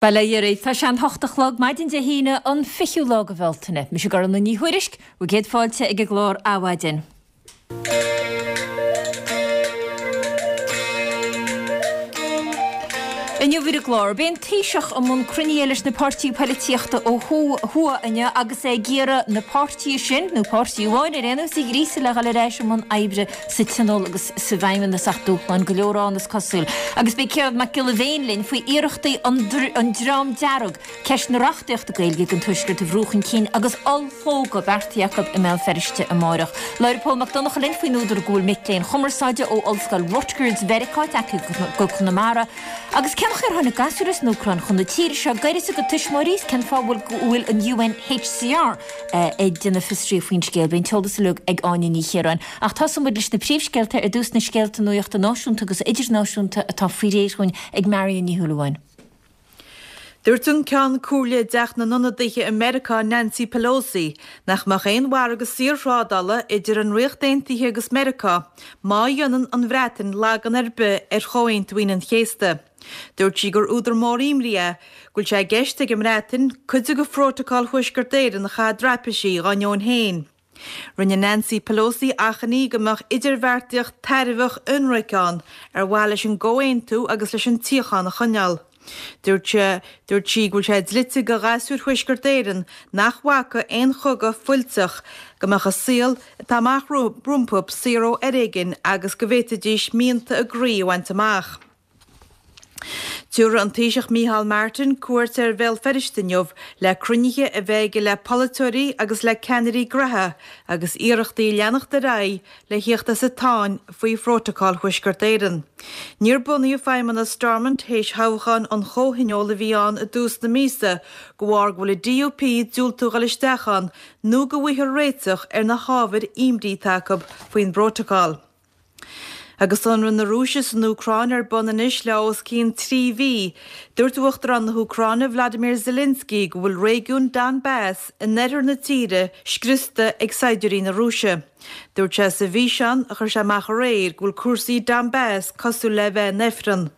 Bail ó Dhia oraibh. Tá sé an hocht a chlog, maidin Dé hAoine, an fichiú lá de Bhealtaine. Mise Gormfhlaith Ní Thuairisg, bhur gcéad fáilte ag an gclár Adhmhaidin. Inniu ar an gclár, beidh an Taoiseach i mbun cruinnithe leis na páirtithe poilitíochta ó thuaidh inniu agus é ag iarraidh na páirtithe sin, nó páirtí amháin ar aon nós, a ghríosadh le dhul ar ais i mbun oibre sa Tionól agus sa bhFeidhmeannas ach dúshláin go leor ann is cosúil. Agus beidh Ciarán Mac Giolla Bhéin linn faoi iarrachtaí an Dream Dearg ceist na reachtaíochta Gaeilge don Tuaisceart a bhrú chun cinn agus ollshlógadh beartaithe acu i mBéal Feirste amárach. Labhróidh Pól Mac Donncha linn faoin údar go bhfuil mic léinn chumarsáide ó Ollscoil Rutgers Mheiriceá tagtha go Conamara agus cén chaoi ar tháinig gasúir as an Úcráin chun na tíre seo gairid dá gcuid tuismitheoirí is cén fáth go bhfuil an UNHCR ag déanamh fiosraithe faoin scéal. Beidh an t-eolas uilig ag Áine Ní Chiaráin. Ach tosóidh muid leis na príomhscéalta ar dtús, na scéalta nuachta náisiúnta agus idirnáisiúnta atá faoi réir dhúinn ag Marion Ní Shúilleabháin. Dúirt an Ceann Comhairle i dTeach na nIonadaithe i Meiriceá Nancy Pelosi nach mbeadh aon mhargadh saorthrádála idir an Ríocht Aontaithe agus Meiriceá má dhéanann an Bhreatain lagan ar bith ar Chomhaontú Aoine an Chéasta. Dúirt sí gur údar mór imní é go bhfuil sé i gceist ag an mBreatain cuid de Phrótacal Thuaisceart Éireann a chaitheamh i dtraipisí dá ndeoin féin. Rinne Nancy Pelosi achainí go mbeadh idirbheartaíocht tairbheach ionraic ann ar mhaithe leis an gcomhaontú agus leis an tsíocháin a choinneáil. Dúirt dúirt sí go bhfuil sé dlite go ghasúir Thuaisceart Éireann nach bhfaca aon chogadh fuilteach go mbeadh a saol atá amach rompu saor ó fhoréigean agus go bhféadfaidís mianta a gcroí a bhaint amach. Tabharfaidh an Taoiseach Micheál Martin cuairt ar Bhéal Feirste inniu le cruinnithe a bheith aige le polaiteoirí agus le ceannairí gnoithe agus iarrachtaí ag leanacht ar aghaidh le thíocht as an tsáinn faoi Phrótacal Thuaisceart Éireann. Níor bunaíodh Feidhmeannas Stormont théis thoghchán an Chomhthionóil a bhí ann i dtús na míosa de bharr go bhfuil an DUP ag diúltú dhul isteach ann nó go bhfaighfear réiteach ar na hábhair imní atá acu faoin bprótacal. Agus ionradh na Rúise san Úcráin ar bun anois le os cionn 3 mhí, dúirt Uachtarán na hÚcráine Vladimir Zelensky go bhfuil réigiún Donbass in oirthear na tíre scriosta ag saighdiúirí na Rúise. Dúirt sé sa bhfíseán a chuir sé amach aréir go bhfuil cúrsaí Donbass cosúil le bheith in ifreann.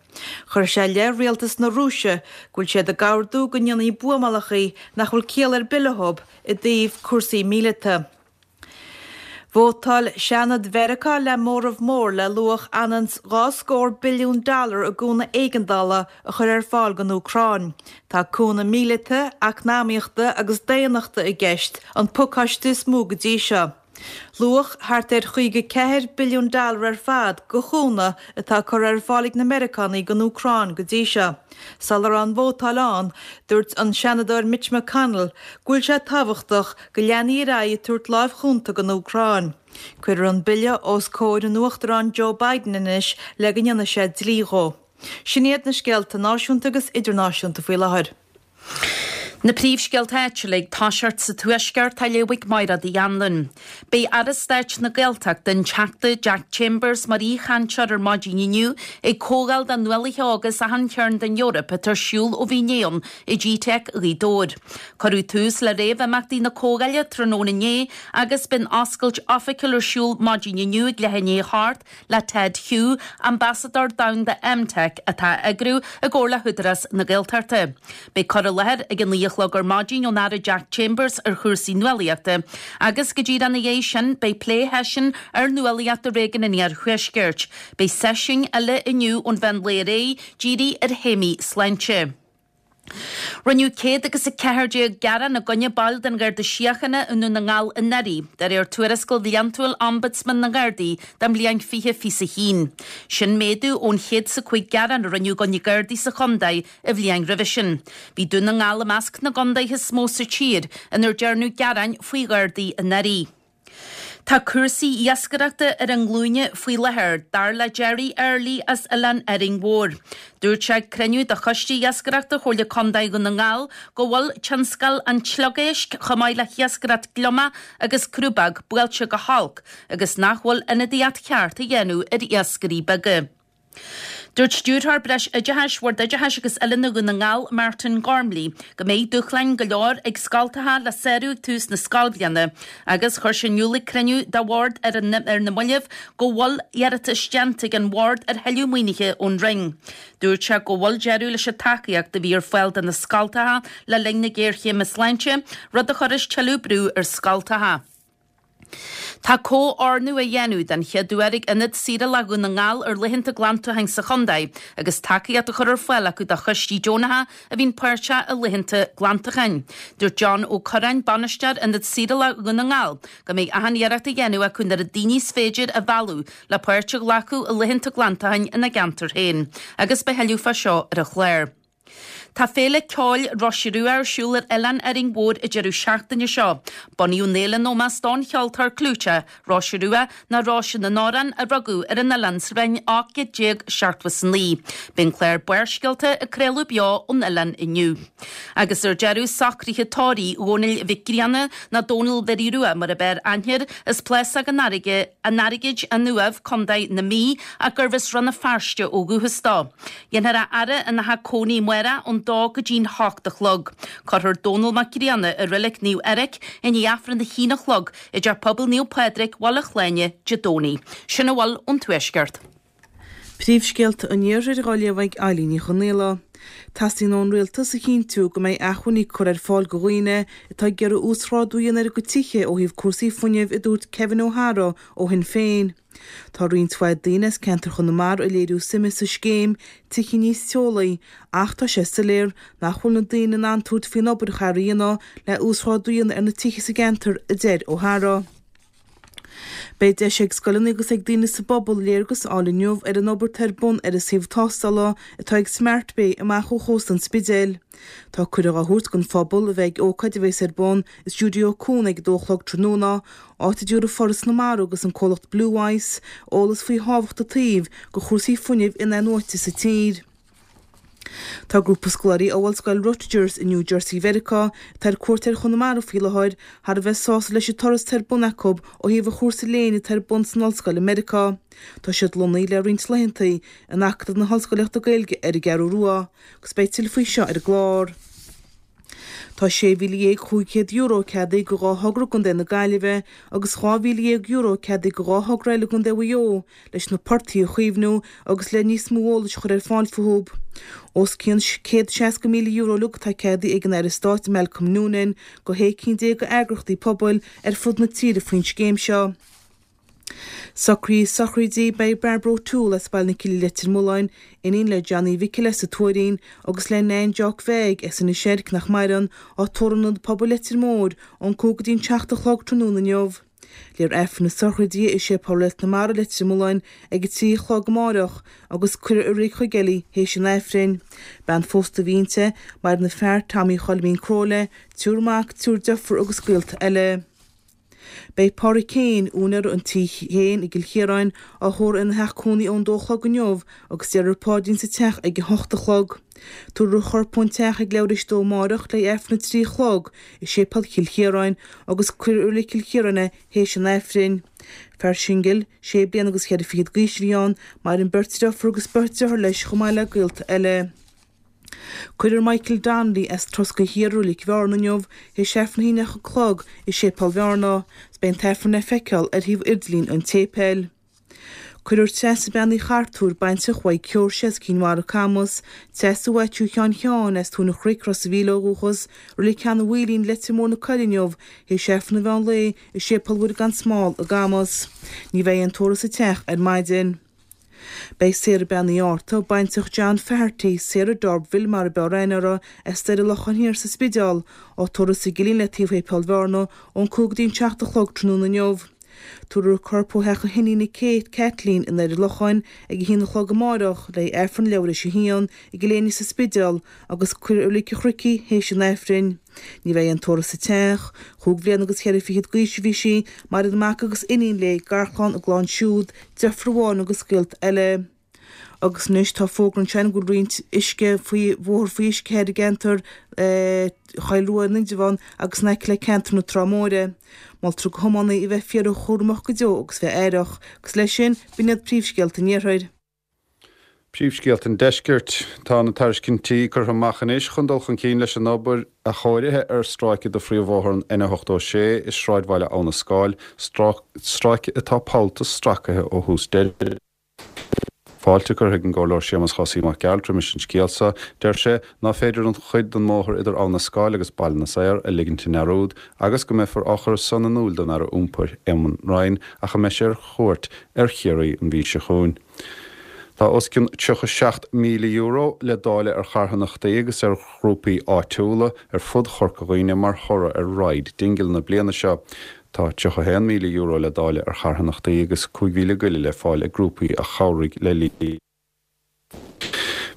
Chuir sé i leith rialtas na Rúise go bhfuil siad ag ordú go ndéanfaí buamálachaí nach bhfuil ciall ar bith leo i dtaobh cúrsaí míleata. Vótáil Seanad Mheiriceá le móramh mór le luach ionann 's 2 scór billiún dollar i gcúnamh éigeandála a chur ar fáil don Úcráin. Tá cúnamh míleata, eacnamaíochta agus daonnachta i gceist, an pacáiste is mó go dtí seo. Luach thart ar 54 billiún dollar ar fad de chúnamh atá curtha ar fáil ag na Meiriceánaigh don Úcráin go dtí seo. Sula raibh an vótáil ann, dúirt an Seanadóir Mitch McConnell go bhfuil sé tábhachtach go leanfaí ar aghaidh ag tabhairt láimh chúnta don Úcráin. Cuirfear an bille os comhair an Uachtaráin Joe Biden anois le go ndéanfaidh sé dlí dhó. Sin iad na scéalta náisiúnta agus idirnáisiúnta faoi láthair. Na príomhscéalta áitiúla ag toiseacht sa Tuaisceart á léamh ag Máiréad Uí Anluain. Beidh Aire Stáit na Gaeltachta, an Teachta Jack Chambers mar aoichainteoir ar maidin inniu ag comhdháil do nuálaithe óga as achan chearn den Eoraip atá ar siúl ó bhí inné ann i gteic Ghaoth Dobhair. Cuireadh tús le réamh-imeachtaí na comhdhála tráthnóna inné agus beidh an oscailt oifigiúil ar siúl maidin inniu ag leath i ndiaidh a hocht le Ted Hui, Ambasadóir Domhanda EmTech, atá á eagrú i gcomhar le hÚdarás na Gaeltachta. Beidh cur i láthair ag a 9 a chlog ar maidin ón Aire Jack Chambers ar chúrsaí nuálaíochta agus go díreach ina dhiaidh sin beidh plé-sheisiún ar nuálaíocht i réigiún an Iarthuaiscirt. Beidh seisiúin eile inniu ón mheán lae ar aghaidh dírithe ar théamaí sláinte. Rinneadh 114 gearán i gcoinne baill den Gharda Síochána i nDún na nGall anuraidh, de réir tuarascáil bhliantúil Ombudsman na nGardaí don bhliain 2021. Sin méadú ón 105 gearán a rinneadh i gcoinne Gardaí sa chontae an bhliain roimhe sin. Bhí Dún na nGall i measc na gcontaetha is mó sa tír inar dearnadh gearáin faoi Ghardaí anuraidh. Tá cúrsaí iascaireachta ar a nglúine faoi láthair, dar le Gerry Early as Oileán Árainn Mhór. Dúirt sé ag cruinniú de Choiste Iascaireachta Chomhairle Contae Dhún na nGall go bhfuil tionscal an tSliogéisc chomh maith le hiascaireacht gliomach agus crúbóg buailte go holc agus nach bhfuil ionadaíocht cheart á dhéanamh ar iascairí beaga. Dúirt Stiúrthóir Breis Oideachais Bhord Oideachais agus Oiliúna Dhún na nGall, Martin Gormley, go mbeidh dúshláin go leor ag scoltacha le sárú ag tús na scoilbhliana agus chuir sé in iúl ag cruinniú dá bhord ar na mallaibh go bhfuil iarratas déanta ag an bhord ar thuilleadh maoinithe ón Roinn. Dúirt sé go bhfuil deireadh leis an tacaíocht a bhí ar fáil do na scoltacha le linn na géarchéime sláinte, rud a chuirfeas tuilleadh brú ar scoltacha. Tá comhordú á dhéanamh den chéad uair ag Ionad Saorála Dhún na nGall ar laethanta glantacháin sa chontae agus tacaíocht á chur ar fáil acu do choistí deonacha a bhíonn páirteach i laethanta glantacháin. Dúirt John Ó Curráin, Bainisteoir Ionad Saorála Dhún na nGall, go mbeidh achan iarracht á dhéanamh acu an oiread daoine is féidir a mhealladh le páirt a ghlacadh i laethanta glantacháin ina gceantar féin agus beidh thuilleadh fá seo ar an chlár. Tá Féile Ceoil Roise Rua ar siúl ar Oileán Árainn Mhór an deireadh seachtaine seo. Bunaíodh an fhéile in ómós don cheoltóir clúiteach, Róise Rua, nó Róise na nAmhrán, a rugadh ar an oileán sa bhliain 1879. Beidh an clár Barrscéalta ag craoladh beo ón oileán inniu. Agus ar deireadh, socruithe tórraimh Dhónaill Mhic Grianna, nó Dónal Mhary Rua mar ab fhearr aithne air, as Plásóg an an Airgid, An Uaimh, Co. na Mí, ach gurbh as Rann na Feirste ó dhúchas dó. Dhéanfar a fhaire ina theach cónaí amárach ón dó go dtí'n hocht a chlog. Cuirfear Dónal Mac Grianna i Reilig Naomh Eirc i ndiaidh Aifreann a haon a chlog i dTeach Pobail Naomh Pádraig, Bhaile Shláine, Dé Domhnaigh. Sin a bhfuil ón Tuaisceart. Príomhscéalta an Iarthair á léamh ag Eilín Ní Chonaola. Teastaíonn ón Rialtas a chinntiú go mbeidh acmhainní curtha ar fáil do dhaoine atá ag iarraidh uasghrádú a dhéanamh ar a gcuid tithe ó thaobh cúrsaí fuinnimh, a dúirt Kevin O'Hara ó Shinn Féin. Tá roinnt mhaith daoine as ceantar Chonamara ag léiriú suime sa scéim Tithe Níos Teolaí ach tá sé soiléir nach bhfuil na daoine in ann tabhairt faoin obair a chaithfear a dhéanamh le uasghrádú a dhéanamh ar na tithe sa gceantar, a deir O'Hara. Beidh deis ag scoileanna agus ag daoine sa bpobal léargas a fháil inniu ar an obair atá ar bun ar an suíomh tástála atá ag Smart Bay amach ó chósta an Spidéil. Tá cuireadh á thabhairt don phobal a bheith ag ócáid a bheas ar bun i Stiúideo Cuan ag a dó a chlog tráthnóna, áit a dtabharfaidh Foras na Mara agus an comhlacht Blue Ice eolas faoi thábhacht an tsuímh do chúrsaí fuinnimh in-athnuaite sa tír. Tá grúpa scoláirí ó Ollscoil Rutgers i New Jersey Mheiriceá, atá ar cuairt ar Chonamara faoi láthair, thar a bheith sásta leis an turas atá ar bun acu ó thaobh an chúrsa léinn atá ar bun san ollscoil i Meiriceá. Tá siad lonnaithe le roinnt laethanta in Acadamh na hOllscoilíochta Gaeilge ar an gCeathrú Rua agus beidh tuilleadh faoi seo ar an gclár. Tá €16,500 ceadaithe do dhá thogra i gContae na Gaillimhe agus €12,000 ceadaithe do dhá thogra eile i gContae Mhaigh Eo leis na portaigh a chaomhnú agus le níos mó eolais a chur ar fáil fúthu. Os cionn €160,000 uilig atá ceadaithe ag an Aire Stáit Malcolm Noonan do shé cinn déag d'eagraíochtaí pobail ar fud na tíre faoin scéim seo. Socruithe sochraide Beidh Barbara O'Toole as Baile na Cille Leitir Mealláin, iníon le Johnny Mhicil as an Tuairín agus le Nan Jock Bheag as Inis Oirc nach maireann, á tórramh in Ionad Pobail Leitir Móir ón 5 go dtí'n 7 a chlog tráthnóna inniu. Léifear Aifreann na sochraide i Séipéal Reilig na Mara Leitir Mealláin ag 3 a chlog amáireach agus cuirfear i Reilig Chuigéil í théis an Aifrinn. Bean phósta a bhí inti, maireann a fear Tommy Choilmín Crowley, triúr mac, triúr deirfiúr agus gaolta eile. Beidh Pádraig Keane, úinéir an Tí Chéin i gCill Chiaráin, á thórramh ina theach cónaí ón dó a chlog inniu agus déarfar paidrín sa teach ag a hocht a chlog. Tabharfar a chorp ón teach ag leathuair théis dó amáireach le Aifreann a 3 a chlog i Séipéal Chill Chiaráin agus cuirfear i Reilig Chill Chiaráin é théis an Aifrinn. Fear singil, sé bliana agus cheithre fichid d'aois a bhí ann, maireann beirt deirfiúr agus beirt deartháir leis chomh maith le gaolta eile. Cuirfear Michael Donnelly as Troscaí Thiar i Reilig Bhearna inniu théis Aifreann a haon a chlog i Séipéal Bhearna 's beidh an t-aifreann le feiceáil ar shuíomh idirlín an tséipéil. Cuirfear Treasa Bean Uí Chartúir, baintreach Mhaidhc Sheoirse as Cinn Mhara Camas, Treasa Mhaitiú Sheáin Sheáin as Tóin an Chnoic, Ros a' Mhíl ó dhúchas, Reilig Sheanadh Mhaoilín, Leitir Móir na Coille inniu théis Aifreann an mheán lae i Séipéal Mhuire gan Smál i gCamas. Ní bheidh aon tórramh sa teach ar maidin. Beidh Sarah Bean Uí Fhátharta, baintreach John Faherty, Sarah D'Urberville mar a b'fhearr aithne uirthi, as Doire Locháin Thiar sa Spidéal, á tórramh sa gCillín le taobh Shéipéal Bhearna ón 5 go dtí an 7 a chlog tráthnóna inniu. Tabharfar a corp ó theach a hiníne Kate, Kathleen, i nDoire Locháin ag a haon a chlog amáireach le hAifreann leathuair théis a haon i gCill Éinne sa Spidéal agus cuirfear i Reilig an Chnoic í théis an Aifrinn. Ní bheidh aon tórramh sa teach. Chúig bhliana agus cheithre fichid d'aois a bhí sí, maireann mac agus iníon léi, garchlann, a gclann siúd, deirfiúr amháin agus gaolta eile. Agus anois tá fógra ansin go bhfuil roinnt uisce faoi bhóthar faoi uisce thoir i gceantar Choill Rua in Indreabhán agus in aice le ceantar na Trá Móire. Moltar do thiománaithe a bheith fíorchúramach go deo agus bheith aireach. Agus leis sin, b'in iad príomhscéalta an Iarthair. Príomhscéalta an Deiscirt. Tá na tairiscintí curtha amach anois chun dul chun cinn leis an obair athchóirithe ar stráice de phríomhbhóthar an N86 i sráidbhaile Abha na Scáil, stráice atá pollta stracaithe ó thús deireadh. Fáilte curtha ag an gComhairleoir Séamus Chosaí Mac Gearailt roimis an scéal seo. Deir sé ná féidir an chuid den mbóthar idir Abha na Scáil agus Baile na Saor a ligint i ndearúd agus go mbeifear á chur san in iúil don Aire Iompair, Eamon Ryan, ach a mbeidh sé ar chuairt ar Chiarraí an mhí seo chugainn. Tá os cionn €37,000 le dáileadh ar charthanachtaí agus ar ghrúpaí áitiúla ar fud Chorca Dhuibhne mar thoradh ar Ride Dingle na bliana seo. Tá €31,000 le dáileadh ar charthanachtaí agus 5,000 go leith le fáil ag grúpaí a chabhraigh le líon.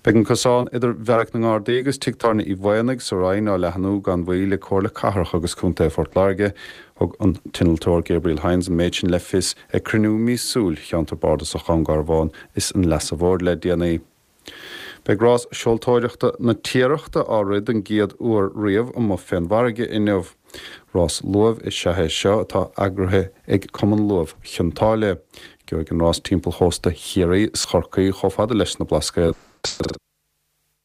Beidh an cosán idir Bheairic na nGardaí agus Tigh Tábhairne Uí Mhaonaigh sa Rinn á leathnú gan mhoill ag Comhairle Cathrach agus Contae Phort Láirge. Thug an t-innealtóir Gabriel Hynes an méid sin le fios ag cruinniú míosúil Cheantar Bardasach Dhún Garbhán is an Leasa Mhóir le déanaí. Beidh rás seoltóireachta na Tiarachta á rith don gcéad uair riamh amuigh fén bhfarraige inniu. Rás luaimh is ea é seo atá eagraithe ag Cumann Luaimh Chionn tSáile. Gheobhaidh an rás timpeall chósta Chiarraí is Chorcaí chomh fada leis na Blascaoid.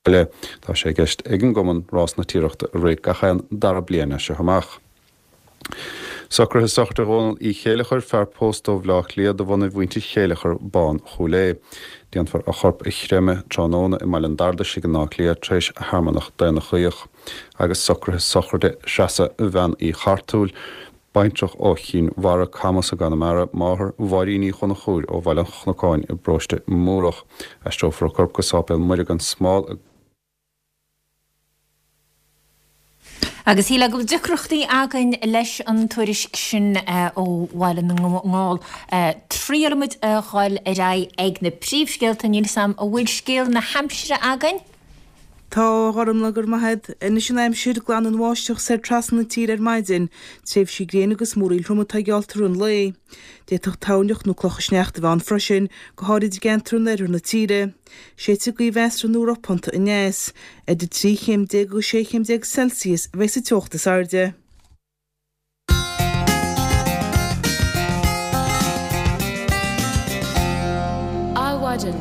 Tá sé i gceist ag an gcumann Rás na Tiarachta a rith gach aon dara bliain as seo amach. Socruithe sochraide Dhónaill Uí Chéileachair, fear pósta ó Bhleá Cliath de bhunaidh mhuintir Chéileachair Bán Chúil Aodha. Déanfar a chorp a chreimeadh tráthnóna i mBaile an Bhardais in Áth Cliath tar éis shearmanach daonnachaoch. Agus socruithe sochraide Threasa Bhean Uí Chartúil, baintreach ó Chinn Mhara, Camas i gConamara, máthair Mháirín Uí Chonchúir ó Bhaile an Chnocáin i bparóiste Múrach. Aistreofar a corp go Sáipéal Muire gan Smál i. Agus shílfeá go bhfuil deacrachtaí againn leis an tuairisc sin ó Bhaile na nGall. Triailfimid a dhul ar aghaidh ag na príomhscéalta. Níl 'fhios a'm an bhfuil scéal na haimsire againn? Tá, a Ghormlaith, go raibh maith agat. Anois an aimsir, glanfaidh an bháisteach soir trasna na tíre ar maidin. Tréimhsí gréine agus múraíl throm atá geallta i rith an lae. D'fhéadfadh toirneach nó clocha sneachta a bheith ann freisin, go háirid i gceantair in oirthear na tíre. Séidfidh gaoth mheasartha nó ropánta aneas. Idir 13 chéim agus 16 chéim Celsius a bheidh sa teocht is airde. Adhmhaidin.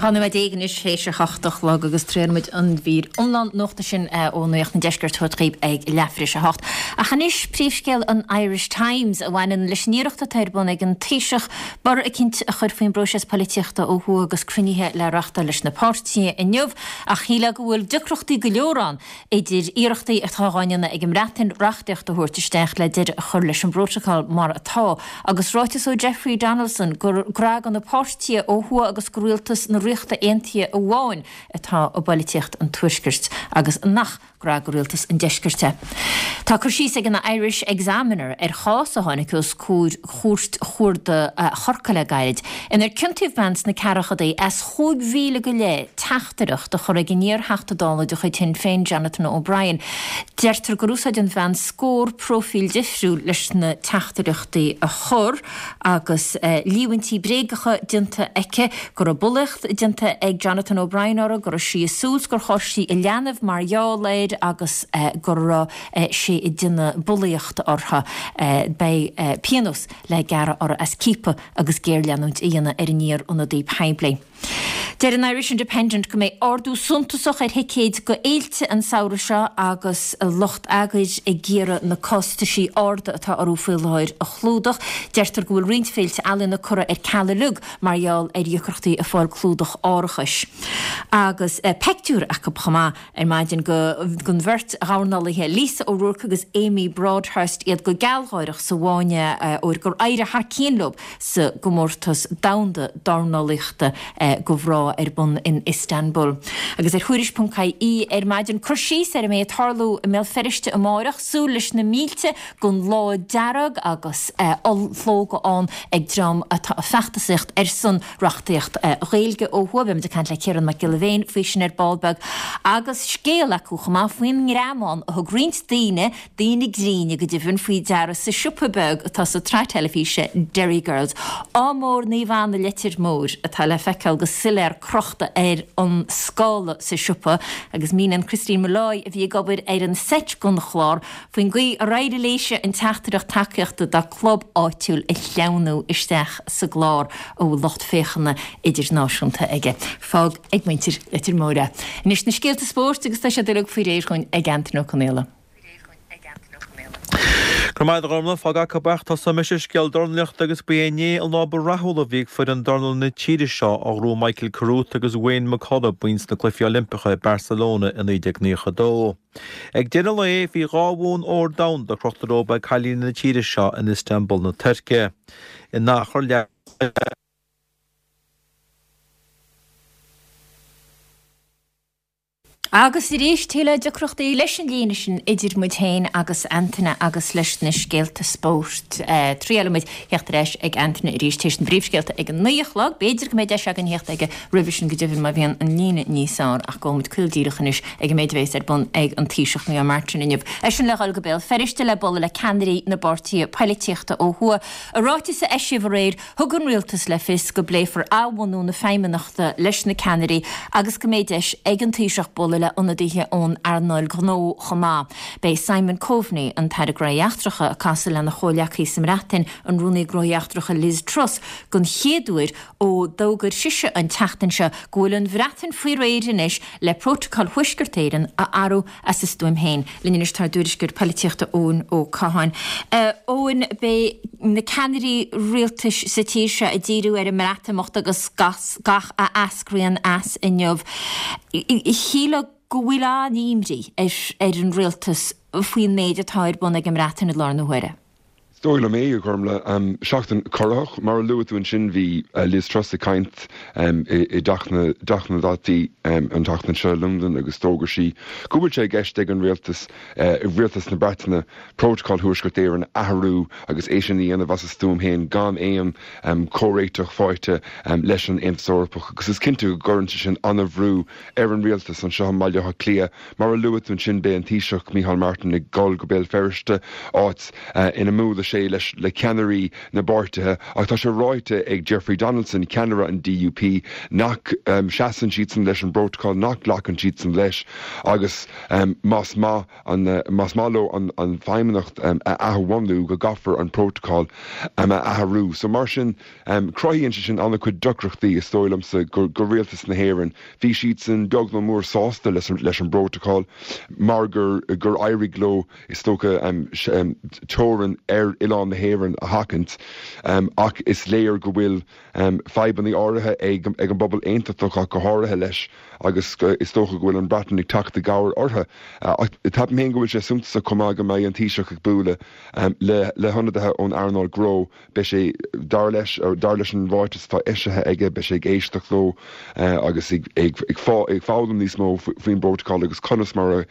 12 nóiméad anois théis a hocht a chlog agus triailfimid an mhír iomlán nuachta sin ó Nuacht an Deiscirt a thabhairt dhaoibh ag leathuair tar éis a hocht. Ach anois príomhscéal an Irish Times a bhaineann leis an iarracht atá ar bun ag an Taoiseach borradh eicínt a chur faoin bpróiseas polaitíochta ó thuaidh agus cruinnithe le reachtáil leis na páirtithe inniu ach shílfeá go bhfuil deacrachtaí go leor ann idir iarrachtaí atá á ndéanamh ag an mBreatain reachtaíocht a thabhairt isteach le deireadh a chur leis an bprótacal mar atá, agus ráiteas ó Jeffrey Donaldson gur grá do na páirtithe ó thuaidh agus do rialtas na Ríochta Aontaithe amháin atá i bpolaitíocht an Tuaiscirt agus nach grá do rialtas an Deiscirt é. Tá cur síos ag an Irish Examiner ar chás a tháinig os comhair Chúirt Chuarda Chorcaí le gairid, inar ciontaíodh bean sna ceathrachadaí as 5,000 go leith teachtaireacht a chur ag an iar-Theachta Dála de chuid Shinn Féin, Jonathan O'Brien. Deirtear gur úsáid an bhean scór próifíl difriúil leis na teachtaireachtaí a chur agus líomhaintí bréagacha déanta aici go raibh bulaíocht déanta ag Jonathan O'Brien uirthi, go raibh sí ag súil 's gur chas sí a leanbh mar gheall air agus go raibh sé ag déanamh bulaíochta uirthi. Beidh pionós le gearradh uirthi as ciapadh agus géarleanúint a dhéanamh ar an iar-ionadaí poiblí. Deir an Irish Independent go mbeidh ardú suntasach ar thicéid go fhéilte an samhradh seo agus lucht eagair ag iarraidh na costaisí arda atá orthu faoi láthair a chlúdach. Deirtear go bhfuil roinnt féilte ealaíona curtha ar ceal uilig mar gheall ar dheacrachtaí ag fáil clúdach árachais. Agus peictiúr acu chomh maith. Ar maidin den bheirt dhornálaithe Lisa O'Rourke agus Amy Broadhurst, iad go gealgháireach sa bhfáinne óir gur éirigh thar cionn leo sa gcomórtas domhanda dornálaíochta do mhná ar bun in Istanbul. Agus ar Thuairisc.ie ar maidin, cur síos ar a mbeidh ag tarlú i mBéal Feirste amáireach, súil leis na mílte don Lá Dearg agus ollshlógadh ann ag dream atá ag feachtasaíocht ar son reachtaíocht Ghaeilge ó thuaidh. Beimid ag caint le Ciarán Mac Giolla Bhéin faoi sin ar ball beag agus scéal acu chomh maith faoin ngreamán a thug roinnt daoine, daoine gréine go deimhin, faoi deara sa siopa beag atá sa tsraith teilifíse Derry Girls. Ádh mór Naomh Anna Leitir Móir atá le feiceáil. go soiléir crochta ar an scála sa siopa agus míníonn Christine Molloy, a bhí ag obair ar an seit don chlár, faoin gcaoi ar éirigh léise an teachtaireacht tacaíochta dá club áitiúil a shleamhnú isteach sa gclár a bhfuil lucht féachana idirnáisiúnta aige. Fág ag muintir Leitir Móir é. Anois na scéalta spóirt agus tá siad uilig faoi réir dhúinn ag Antaine Ó Conaola. Go raibh maith agat a Ghormfhlaith, fág acu ach tosóidh mise ar scéal dornálaíochta agus ba é inné an lá ba rathúla a bhí ag foireann dornála na tíre seo a ghnóthaigh Michael Carruth agus Wayne McCullough boinn sna Cluichí Oilimpeacha i Barcelona i 1992. Ag deireadh an lae bhí 2 bhonn óir domhanda crochta rompu ag cailíní na tíre seo in Istanbul na Tuirce. In achar leath. Agus arís, tuilleadh deacrachtaí leis an líne sin idir muid féin agus Antaine agus leis na scéalta spóirt. Triailfidh muid theacht ar ais ag Antaine arís tar éis na bpríomhscéalta ag an 9 a chlog. B'fhéidir go mbeidh deis againn theacht aige roimhe sin go deimhin má bhíonn an líne níos fearr ach gabhfaidh muid caol díreach anois ag an méid a bheas ar bun ag an Taoiseach Micheál Martin inniu. Eisean le dhul go Béal Feirste le bualadh le ceannairí na bpáirtithe poilitíochta ó thuaidh. I ráiteas a eisíodh aréir, Thug an Rialtas le fios go bpléifear athbhunú na Feidhmeannachta leis na ceannairí agus go mbeidh deis ag an Taoiseach bualadh le ionadaithe ón earnáil ghnó chomh maith. Beidh Simon Coveney, an tAire Gnóthaí Eachtracha, ag casadh lena chomhghleacaí sa mBreatain, an Rúnaí Gnóthaí Eachtracha Liz Truss, don chéad uair ó d'fhógair sise an tseachtain seo go bhfuil an Bhreatain faoi réir anois le Prótacal Thuaisceart Éireann a athrú as a stuaim féin. Linn anois tá ár dtuairisceoir poilitíochta Eoin Ó Catháin. Eoin, beidh na ceannairí rialtais sa tír seo ag díriú ar an mBreatimeacht agus gach a eascraíonn as inniu. Shílfeá go bhfuil an-imní ar an rialtas faoin méid atá ar bun ag an mBreatain i láthair na huaire. Is dóigh liom é, a Ghormfhlaith. Seachtain corraitheach, mar a luaigh tú ansin, bhí Liz Truss ag caint i dTeach na dTeachtaí an tseachtain seo i Londain agus d'fhógair sí go bhfuil sé i gceist ag an rialtas, rialtas na Breataine, Prótacal Thuaisceart Éireann a athrú agus é sin a dhéanamh as a stuaim féin gan aon chomhréiteach faighte leis an Aontas Eorpach agus is cinnte go gcuireann sé sin an-bhrú ar an rialtas anseo i mBaile Átha Cliath. Mar a luaigh tú ansin, beidh an Taoiseach Micheál Martin ag dul go Béal Feirste, áit ina mbuailfidh sé leis le ceannairí na bpáirtithe ach tá sé ráite ag Jeffrey Donaldson, ceannaire an DUP, nach seasann siadsan leis an bprótacal, nach nglacann siadsan leis agus más maith an más maith leo an Feidhmeannacht a athbhunú go gcaithfear an prótacal a athrú. So mar sin, cruthaíonn sé sin an-chuid deacrachtaí is dóigh liomsa go rialtas na hÉireann. Bhí siadsan beag nó mór sásta leis an bprótacal mar gur éirigh leo, is dócha, teorainn ar oileán na hÉireann a sheachaint ach is léir go bhfuil fadhbanna áirithe ag an bpobal aontachtach ach go háirithe leis agus is dócha go bhfuil an Bhreatain ag teacht i gcabhair orthu. Ach ceapaim féin go bhfuil sé suntasach chomh maith go mbeidh an Taoiseach ag bualadh le hionadaithe ón earnáil gnó Beidh sé, dar leis, dar leis an ráiteas atá eisithe aige, beidh sé ag éisteacht leo agus ag foghlaim níos mó faoin bprótacal agus conas mar a,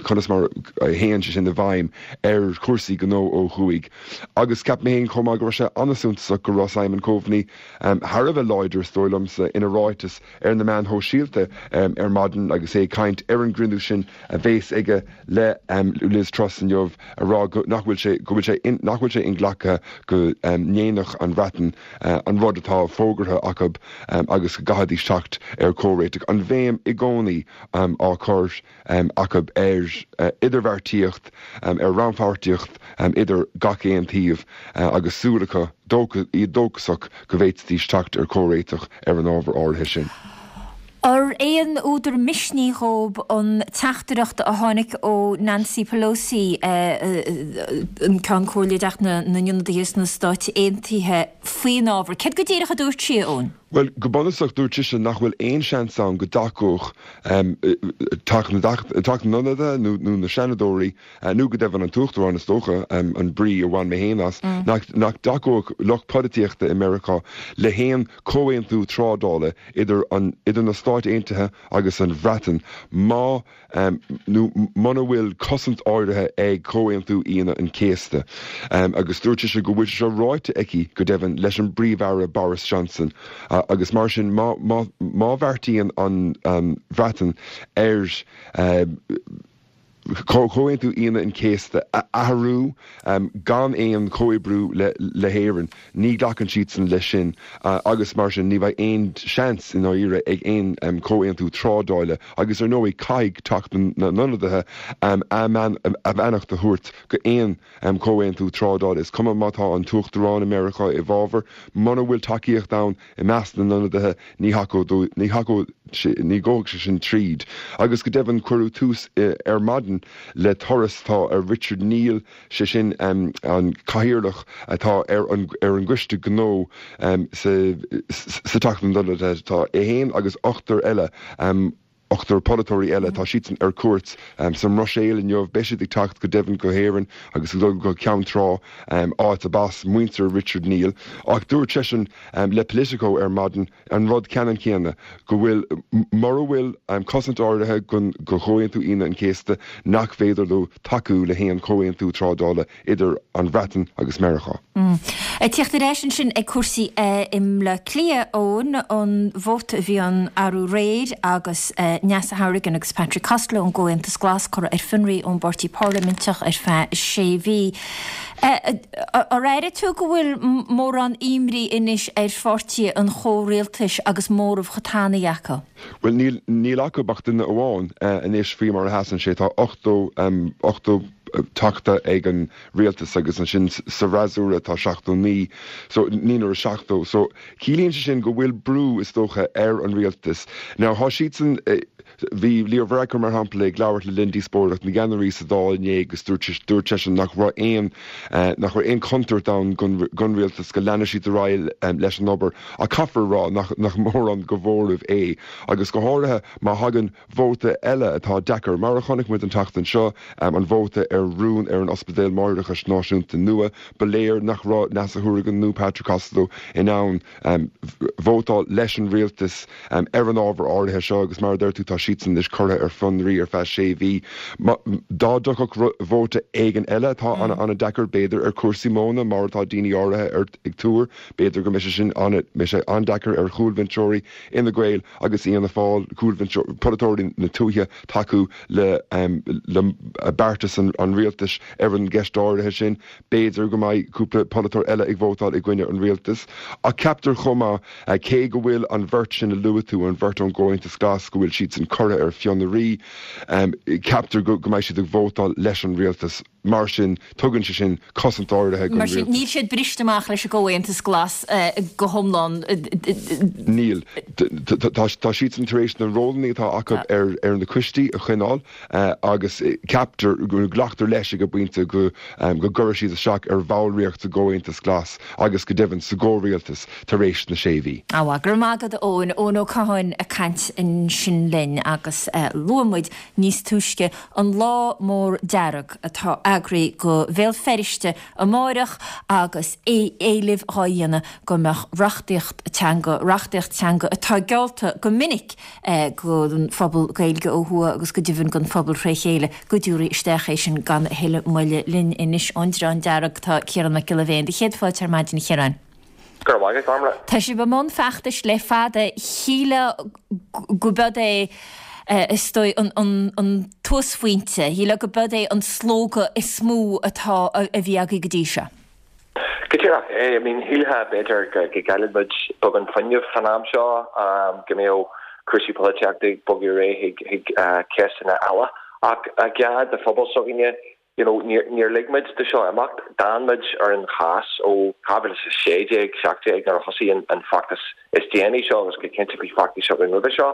conas mar a théann sé sin i bhfeidhm ar chúrsaí gnó ó thuaidh. Agus ceapaim féin chomh maith go raibh sé an-suntasach go raibh Simon Coveney thar a bheith láidir, is dóigh liomsa, ina ráiteas ar na meáin shóisialta ar maidin agus é ag caint ar an gcruinniú sin a bhéas aige le Liz Truss inniu a rá go nach bhfuil sé go bhfuil sé nach bhfuil sé inghlactha go ndéanfadh an Bhreatain an rud atá fógartha acu agus go gcaithfidís teacht ar chomhréiteach. An bhéim i gcónaí á cur acu ar idirbheartaíocht, ar rannpháirtíocht idir gach aon taobh agus súil acu, iad dóchasach go bhféadfaidís teacht ar chomhréiteach ar an ábhar áirithe sin. Ar aon údar misnigh dhóib an teachtaireacht a tháinig ó Nancy Pelosi, an Ceann Comhairle i dTeach na nIonadaithe sna Stáit Aontaithe, faoin ábhar? Céard go díreach a dúirt sí, a Eoin? Bhuel, go bunúsach, dúirt sise nach bhfuil aon seans ann go dtacódh Teach na nIonadaithe nó na Seanadóirí, nó go deimhin an tUachtarán, is dócha, an brí a bhain mé féin as, nach dtacódh lucht polaitíochta i Meiriceá le haon chomhaontú trádála idir idir na Stáit Aontaithe agus an Bhreatain má nó muna bhfuil cosaint áirithe ag Comhaontú Aoine an Chéasta. Agus dúirt sise go bhfuil sé seo ráite aici, go deimhin, leis an bPríomh-Aire Boris Johnson agus mar sin má má bheartaíonn an Bhreatain ar. Comhaontú Aoine an Chéasta a athrú gan aon chomhoibriú le hÉirinn, ní ghlacann siadsan leis sin agus mar sin ní bheidh aon seans i ndáiríre ag aon chomhaontú trádála agus ar ndóigh caithfidh Teach na nIonadaithe a mbeannacht a thabhairt go aon chomhaontú trádála. Is cuma má tá an tUachtarán i Meiriceá i bhfabhar, muna bhfuil tacaíocht ann I measc na n-ionadaithe, ní thacódh, ní thacódh sé, ní ghabhfadh sé sin tríd. Agus go deimhin, cuireadh tús ar maidin le turas atá ar Richard Neal, sé sin an cathaoirleach atá ar an ar an gcoiste gnó sa sa Teach na nIonadaithe. Tá é féin agus ochtar eile, ochtar polaiteoirí eile, tá siadsan ar cuairt sa mBruiséil inniu. Beidh siad ag teacht go deimhin go hÉirinn agus ag dul go Ceann Trá, áit ab as muintir Richard Neal. Ach dúirt seisean le Politico ar maidin an rud ceannann céanna, go bhfuil, mura bhfuil cosaint áirithe go Chomhaontú Aoine an Chéasta, nach féidir leo tacú le haon chomhaontú trádála idir an Bhreatain agus Meiriceá. Ag tíocht ar ais ansin ag cúrsaí i mBleá Cliath, Eoin, an vóta a bhí ann arú aréir agus Neasa Hourigan agus Patrick Costello ón gComhaontas Glas curtha ar fionraí ón bpáirtí parlaiminteach ar feadh sé mhí. Ar airigh tú go bhfuil mórán imní anois ar pháirtithe an chomhrialtais agus móramh chomh tanaí acu? Bhuel, níl, níl acu ach duine amháin anois faoi mar a sheasann sé. Tá 80, 80 teachta ag an rialtas agus ansin sa bhfreasúra tá 79, so ní raibh 70. So ciallaíonn sé sin go bhfuil brú, is dócha, ar an rialtas. Now tá siadsan, bhí Leo Varadkar mar shampla ag labhairt le linn díospóireacht na gceannairí sa Dáil inné agus dúirt, dúirt seisean nach raibh aon, nach raibh aon chontúirt ann don rialtas go leanfaidh siad ar aghaidh leis an obair. Ach caithfear a rá nach mórán de mhóramh é, agus go háirithe má thagann vóta eile atá deacair, mar a chonaic muid an tseachtain seo, an vóta ar rún ar an Ospidéal Máithreachais Náisiúnta nua. Ba léir nach raibh Neasa Hourigan nó Patrick Costello in ann vótáil leis an rialtas ar an ábhar áirithe seo agus mar a deir tú tá siadsan anois curtha ar fionraí ar feadh sé mhí. Dá dtiocfadh vóta éigin eile atá an-deacair, b'fhéidir ar chúrsaí móna mar atá daoine áirithe ag tuar, B'fhéidir go mbeidh sé sin mbeidh sé an-deacair ar chúlbhinseoirí Fhine Gael agus Fhianna Fáil, cúlbhinseoirí, polaiteoirí na tuaithe tacú le le beartas an rialtais ar an gceist áirithe sin. B'fhéidir go mbeidh cúpla polaiteoir eile ag vótáil i gcoinne an rialtais. Ach ceaptar chomh maith, cé go bhfuil an bheirt sin a luaigh tú, an bheirt ón gComhaontas Glas, go bhfuil siadsan curtha ar fionraí, ceaptar go mbeidh siad ag vótáil leis an rialtas. Mar sin, tugann sé sin cosaint áirithe don Mar sin, níl siad briste amach leis an gComhaontas Glas go hiomlán. Níl. Tá siadsan tar éis na rólanna atá acu ar na coistí a choinneáil agus ceaptar, glactar leis ag an bpointe go gcuirfidh siad isteach ar bhallraíocht sa gComhaontas Glas agus go deimhin sa gcomhrialtas tar éis na sé mhí. Á, go raibh maith agat, a Eoin. Eoin Ó Catháin ag caint ansin linn agus luaigh muid níos túisce an Lá Mór Dearg atá eagraithe go Bhéal Feirste amáireach agus éilimh dhá dhéanamh go mbeadh reachtaíocht teanga, reachtaíocht teanga atá geallta go minic don phobal Gaeilge ó thuaidh agus go deimhin don phobal thré chéile, go dtabharfaí isteach é sin gan a thuilleadh moille. Linn anois ón Dreán Dearg tá Ciarán Mac Giolla Bhéin. Do chéad fáilte ar maidin, a Chiaráin. Go raibh maith agat, Gormlaith. Tá sibh i mbun feachtais le fada. Shílfeá go b'iod é, is dóigh, an t-uasphointe, shílfeá go b'iod é an slógadh is mó atá, a bhí agaibh go dtí seo. Go díreach é. I mean, shílfeá, b'fhéidir, go gcailleann muid beagán fuinnimh fan am seo, go mbeadh cúrsaí polaitíochta ag bogadh ar aghaidh chuig ceisteanna eile. Ach geábh de phobal s'againne, You know, níor, níor lig muid do seo imeacht. D'fhan muid ar an chás ó 2016, 17 nuair a thosaigh an, an feachtas is déanaí seo agus go cinnte bhí feachtais againn roimhe seo.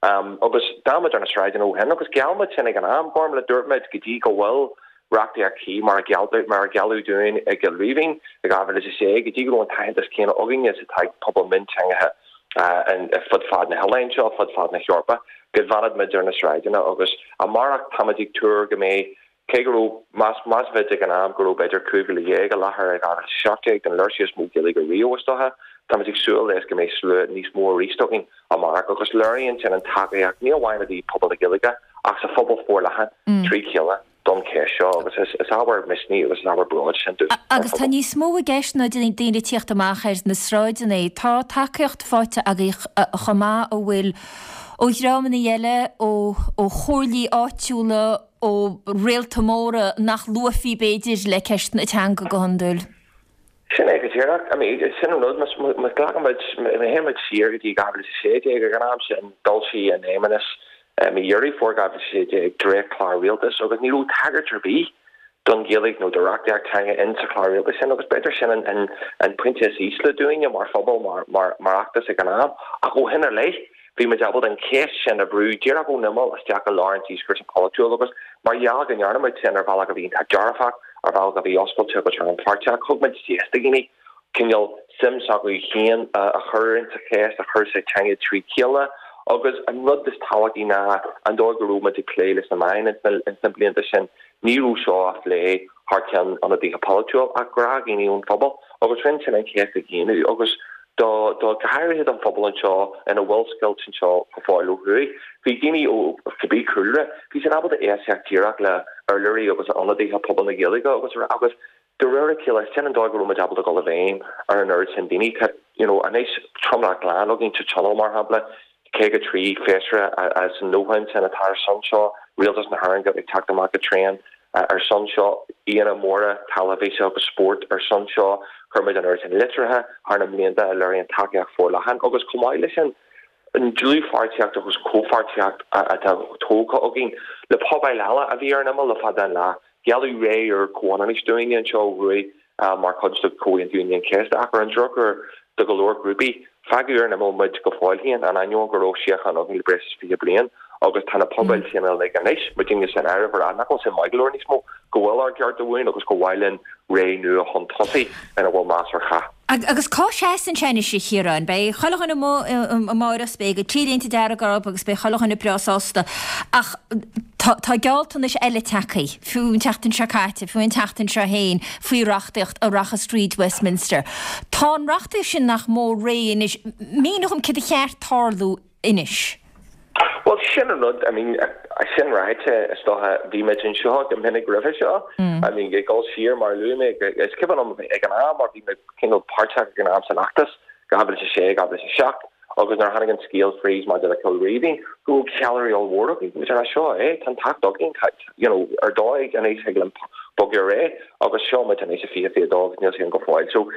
Um, agus d'fhan muid ar na sráideanna ó shin agus gheall muid sin ag an am, Gormlaith, dúirt muid go dtí go bhfuil reachtaíocht chuí mar a geall, mar a gealladh dúinn i gCill Rímhinn i 2006, go dtí go raibh an t-aitheantas céanna againne is atá ag pobal mionteangacha uh, fud fad na hoileáin seo, fud fad na hEorpa. go bhfanfadh muid ar na sráideanna agus amárach táimid ag tuar go mbeidh, cé go raibh, más, meas muid ag an am go raibh b'fhéidir 15,000 i láthair i 2017 don léirsiú is mó Gaeilge riamh is dócha, táimid ag súil leis go mbeidh slua níos mó arís againn amárach agus léiríonn sin an tacaíocht ní amháin i dtaobh pobal na Gaeilge ach sa phobal forleathan trí chéile. don cheist seo agus is ábhar misnigh agus is ábhar bróid sin dúinn mar Agus tá phobal. níos mó i gceist ná daoine ag tíocht amach ar na sráideanna. Tá tacaíocht faighte agaibh chomh maith a bhfuil ó dhreamanna eile, ó chomhairlí áitiúla, ó réalta móra nach luafaí b'fhéidir le ceisteanna teanga go hiondúil. Sin é go díreach. I mean, sin an rud, má ghlacann muid, má théann muid siar go dtí 2016, ag an am sin, d'fhoilsigh an Fheidhmeannas i mí Dheireadh Fómhair 2016 dréachtchlár rialtais agus ní raibh tagairt ar bith don Ghaeilge nó do reachtaíocht teanga in sa chlár rialtais sin agus b'fhéidir sin an pointe is ísle dúinne mar phobal, mar fheachtas ag an am. Ach ó shin i leith, bhí muid ábalta an cheist sin a bhrú díreach ón imeall isteach i lár an díoscúrsa polaitiúil agus mar gheall go ndearna muid sin ar bhealach a bhí iontach dearfach, ar bhealach a bhí oscailte agus rannpháirteach, thug muid deis do dhaoine cineál suim s'acu féin a chur insa cheist, a chur sa teanga trí chéile agus an rud is tábhachtaí ná an dóigh go raibh muid ag plé leis na meáin ins na blianta sin. Ní raibh seo á phlé thar ceann ionadaithe polaitiúil ach gnáthdhaoine ón phobal agus rinne sin an cheist a dhaingniú agus do, do, go háirithe don phobal anseo ina bhfuil scoilt anseo go fóill ó thuaidh. Bhí daoine ó cibé cúlra, bhí siad ábalta éisteacht díreach le urlabhraí agus ionadaithe pobal na Gaeilge agus agus de réir a chéile sin an dóigh go raibh muid ábalta dul i bhfeidhm ar an oiread sin daoine. Tá, you know, anois tromlach glan againn sa Tionól mar shampla, 53 feisire as an 90 ansin atá ar son seo, Rialtas na hÉireann ag teacht amach go tréan ar son seo, aíonna móra teilifíse agus spóirt ar son seo, chuir muid an oiread sin litreacha thar na mblianta a léiríonn tacaíocht forleathan agus chomh maith leis sin, an dlúthpháirtíocht agus comhpháirtíocht atá tógtha againn le pobail eile a bhí ar an imeall le fada an lá. Gealladh ré úr comhionannais dúinne anseo ó thuaidh mar chuid de Chomhaontú Aoine an Chéasta ach ar an drochuair do go leor grúpaí, fágadh ar an imeall muid go fóill féin, in ainneoin go raibh síocháin againn le breis is 20 bliain agus tá na pobail sin uilig anois, muidinne san áireamh, ag rá nach bhfuil sin maith go leor níos mó, go bhfuil ár gcearta uainn agus gur mhaith linn ré nua chun tosaigh ina bhfuil meas ar chách. Agus cá seasann sé anois, a Chiaráin? Beidh chuile dhuine amuigh amáireach 's beidh an T-léinte dearg orthu agus beidh chuile dhuine breá sásta. Ach tá tá gealltanais eile tagtha, fiú an tseachtain seo caite, fiú an tseachtain seo féin, faoi reachtaíocht a rachas tríd Westminster. Tá an reachtaíocht sin nach mór réidh anois. Mínigh dhom céard a cheart tarlú anois. Bhuel, sin an rud, I mean, sin ráite, is dócha, bhí muid anseo go minic roimhe seo, I mean, ag dul siar, mar a luaigh mé, is cuimhin liom ag an am, mar bhí mé cineál páirteach ag an am san fheachtas, 2006, 2007, agus nuair a tháinig an scéal fríd maidir le Cill Rímhinn, go raibh ceiliúradh ollmhór againn, bhí muid ag rá, seo é, tá an t-acht againn, tá, you know, ar dóigh anois thig linn bogadh ar aghaidh agus seo muid anois i 2022 agus níl sé ann go fóill. So,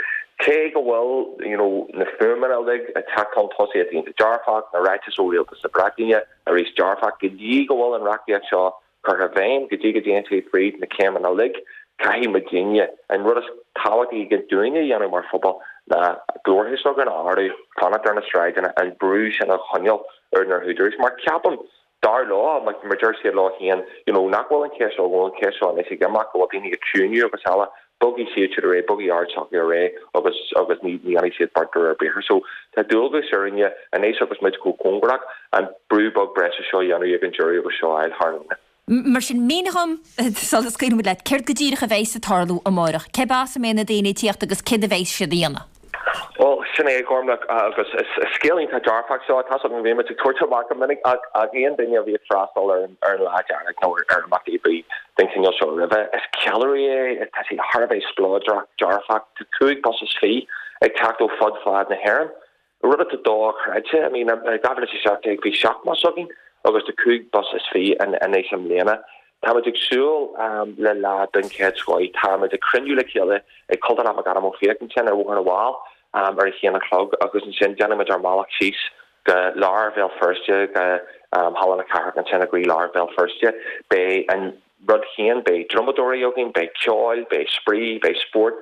cé go bhfuil, you know, na fuaimeanna uilig ag teacht chun tosaigh atá iontach dearfach, na ráitis ó Rialtas na Breataine arís dearfach, go dtí go bhfuil an reachtaíocht seo curtha i bhfeidhm, go dtí go dtéann sé fríd na céimeanna uilig, caithfidh muidinne, an rud is tábhachtaí dúinne a dhéanamh mar phobal ná glórtha s'againn a ardú, fanacht ar na sráideanna, an brú sin a choinneáil ar na húdaráis mar ceapaim Dar leo, mar deir siad leo féin, you know, nach bhfuil an cheist seo, go bhfuil an cheist seo anois ag imeacht, go bhfuil daoine ag ciúnú agus eile, bogfaidh siad siúd ar aghaidh, bogfaidh aird s'acu ar aghaidh agus, agus ní, ní dhéanfaidh siad beart de réir briathair. So, tá dualgas orainne anois agus muid chomh cóngarach, an brú beag breise seo a dhéanamh ag an deireadh agus seo a fháil thar an líne. Mar sin, mínigh dhom, sula scaoilfidh muid leat, céard go díreach a bheidhs ag tarlú amáireach? Cé as a mbeidh na daoine ag tíocht agus céard a bheidhs siad a dhéanamh? Bhuel, sin é, a Ghormlaith, agus is scéal iontach dearfach seo, tá's agam go mbíonn muid ag tabhairt amach go minic ach aon duine a bhí ag freastal ar an Lá Dearg nó ar imeachtaí ar bith den chineál seo roimhe, is ceiliúradh é, tá sé thar a bheith spleodrach, dearfach, tá 25 bus ag teacht ó fud fad na hÉireann. Rud atá dochreidte, I mean, i 2017 bhí 7 mbus againn agus tá 25 bus anois i mbliana. Táimid ag súil le lá den chéad scoith. Táimid ag cruinniú le chéile ag Cultúrlann McAdam Ó Fiaich ansin ar Bhóthar na bhFál ar a haon a chlog agus ansin déanfaimid ár mbealach síos go lár Bhéal Feirste, go Halla na Cathrach ansin i gcroí-lár Bhéal Feirste. Beidh an rud féin, beidh drumadóirí againn, beidh ceol, beidh spraoi, beidh spórt,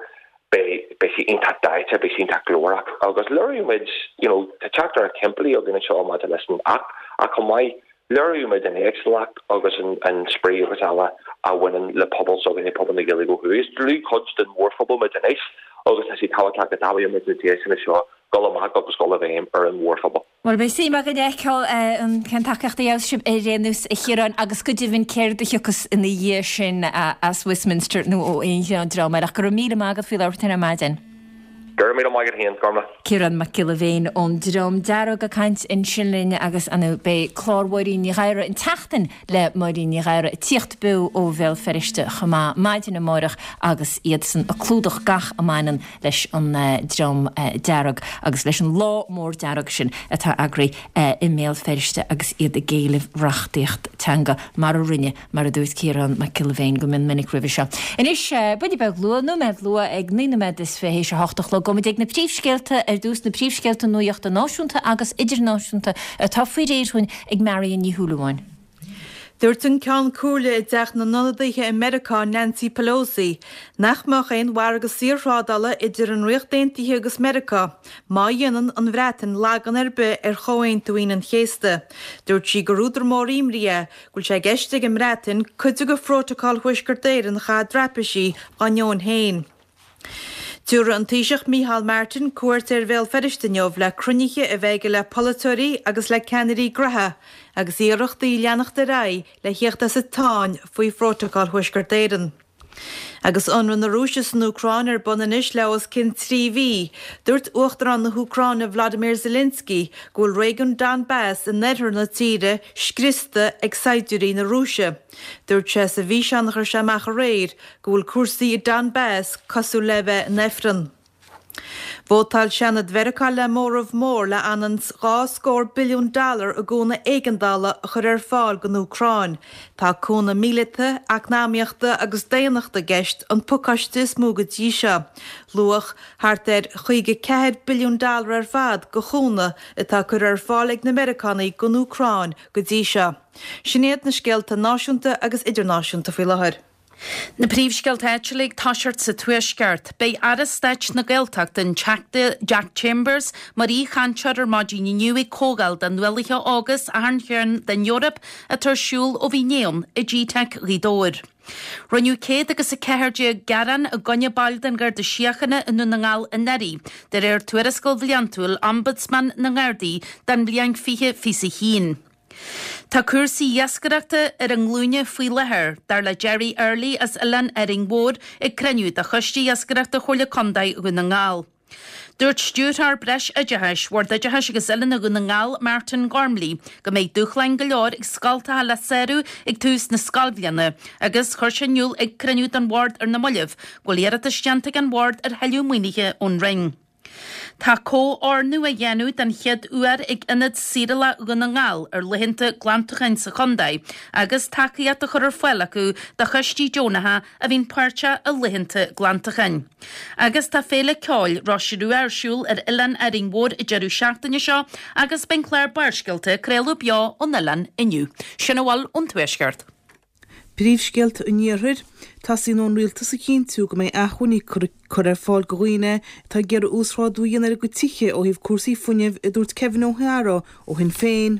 beidh, beidh sé iontach daite, beidh sé iontach glórach agus léireoidh muid, you know, tá teachtaireacht shimplí againn anseo maidir leis an Acht ach chomh maith, léireoidh muid an éagsúlacht agus an, an spraoi agus eile a bhaineann le pobal s'againne, pobal na Gaeilge ó thuaidh. Is dlúthchuid den mhórphobal muid anois agus tá sé tábhachtach go dtapaíonn muid na deiseanna seo dul amach agus dul i bhfeidhm ar an mhórphobal. Bhuel, beidh suim againn a fheiceáil cén tacaíocht a gheobhas sibh ar aon nós, a Chiaráin, agus go deimhin céard a thiocfas ina dhiaidh sin as Westminster nó ó aon dream eile. Ach go raibh míle maith agat faoi labhairt linn ar maidin. Go raibh míle maith agat féin, Gormlaith. Ciarán Mac Giolla Bhéin ón Dream Dearg ag caint ansin linn agus ar ndóigh beidh clár Mháirín Ní Ghadhra, an tSeachtain le Máirín Ní Ghadhra, ag tíocht beo ó Bhéal Feirste chomh maith maidin amárach agus iadsan ag clúdach gach a mbaineann leis an Dream Dearg agus leis an lá mór dearg sin atá eagraithe i mBéal Feirste agus iad ag éileamh reachtaíocht teanga mar a rinne mar a dúirt Ciarán Mac Giolla Bhéin go mion minic roimhe seo. Anois, buille beag luath, nóiméad luath, ag 9 nóiméad is 20 théis a hocht a chlog, gabhfaimid ag na príomhscéalta ar dtús, na príomhscéalta nuachta náisiúnta agus idirnáisiúnta atá faoi réir dhúinn ag Marion Ní Shúilleabháin. Dúirt an Ceann Comhairle i dTeach na nIonadaithe i Meiriceá, Nancy Pelosi, nach mbeadh aon mhargadh saorthrádála idir an Ríocht Aontaithe agus Meiriceá má dhéanann an Bhreatain lagan ar bith ar Chomhaontú Aoine an Chéasta. Dúirt sí gur údar mór imní é go bhfuil sé i gceist ag an mBreatain cuid de Phrótacal Thuaisceart Éireann a chaitheamh i dtraipisí dá ndeoin féin. Tabharfaidh an Taoiseach Micheál Martin cuairt ar Bhéal Feirste inniu le cruinnithe a bheith aige le polaiteoirí agus le ceannairí gnoithe agus iarrachtaí leanacht ar aghaidh le thíocht as an tsáinn faoi Phrótacal Thuaisceart Éireann. Agus ionradh na Rúise san Úcráin ar bun anois le os cionn 3 mhí, dúirt Uachtarán na hÚcráine Vladimir Zelensky go bhfuil réigiún Donbas in oirthear na tíre scriosta ag saighdiúirí na Rúise. Dúirt sé sa bhfíseán a chuir sé amach aréir go bhfuil cúrsaí i Donbas cosúil le bheith in ifreann. Vótáil Seanad Mheiriceá le móramh mór le anonn 's 2 scór billiún dollar i gcúnamh éigeandála a chur ar fáil don Úcráin. Tá cúnamh míleata, eacnamaíochta agus daonnachta i gceist, an pacáiste is mó go dtí seo. Luach thart ar 54 billiún dollar ar fad de chúnamh atá curtha ar fáil ag na Meiriceánaigh don Úcráin go dtí seo. Sin iad na scéalta náisiúnta agus idirnáisiúnta faoi láthair. Na príomhscéalta áitiúla ag toiseacht sa Tuaisceart. Beidh Aire Stáit na Gaeltachta, an Teachta Jack Chambers, mar aoichainteoir ar maidin inniu ag comhdháil do nuálaithe óga as achan chearn den Eoraip atá ar siúl ó bhí inné ann i GTeic Ghaoth Dobhair. Rinneadh 114 gearán i gcoinne baill den Gharda Síochána i nDún na nGall anuraidh, de réir tuarascáil bhliantúil Ombudsman na nGardaí don bhliain 2021. Tá cúrsaí iascaireachta ar a nglúine faoi láthair, dar le Gerry Early as Oileán Árainn Mhór ag cruinniú de Choiste Iascaireachta Chomhairle Contae Dhún na nGall. Dúirt Stiúrthóir Breis Oideachais, Bhord Oideachais agus Oiliúna Dhún na nGall, Martin Gormley, go mbeidh dúshláin go leor ag scoltacha le sárú ag tús na scoilbhliana agus chuir sé in iúl ag cruinniú den Bhord ar na mallaibh go bhfuil iarratas déanta ag an Bhord ar thuilleadh maoinithe ón Roinn. Tá comhordú á dhéanamh den chéad uair ag Ionad Saorálach Dhún na nGall ar laethanta glantacháin sa chontae agus tacaíocht á chur ar fáil acu do choistí deonacha a bhíonn páirteach i laethanta glantacháin. Agus tá Féile Ceoil Rois Rua ar siúl ar Oileán Árainn Mhór an deireadh seachtaine seo agus beidh an clár Barrscéalta ag craoladh beo ón oileán inniu. Sin a bhfuil ón Tuaisceart. Príomhscéalta an Iarthair, Teastaíonn ón Rialtas a chinntiú go mbeidh acmhainní curtha ar fáil do dhaoine atá ag iarraidh uasghrádú a dhéanamh ar a gcuid tithe ó thaobh cúrsaí fuinnimh, a dúirt Kevin O'Hara ó Shinn Féin.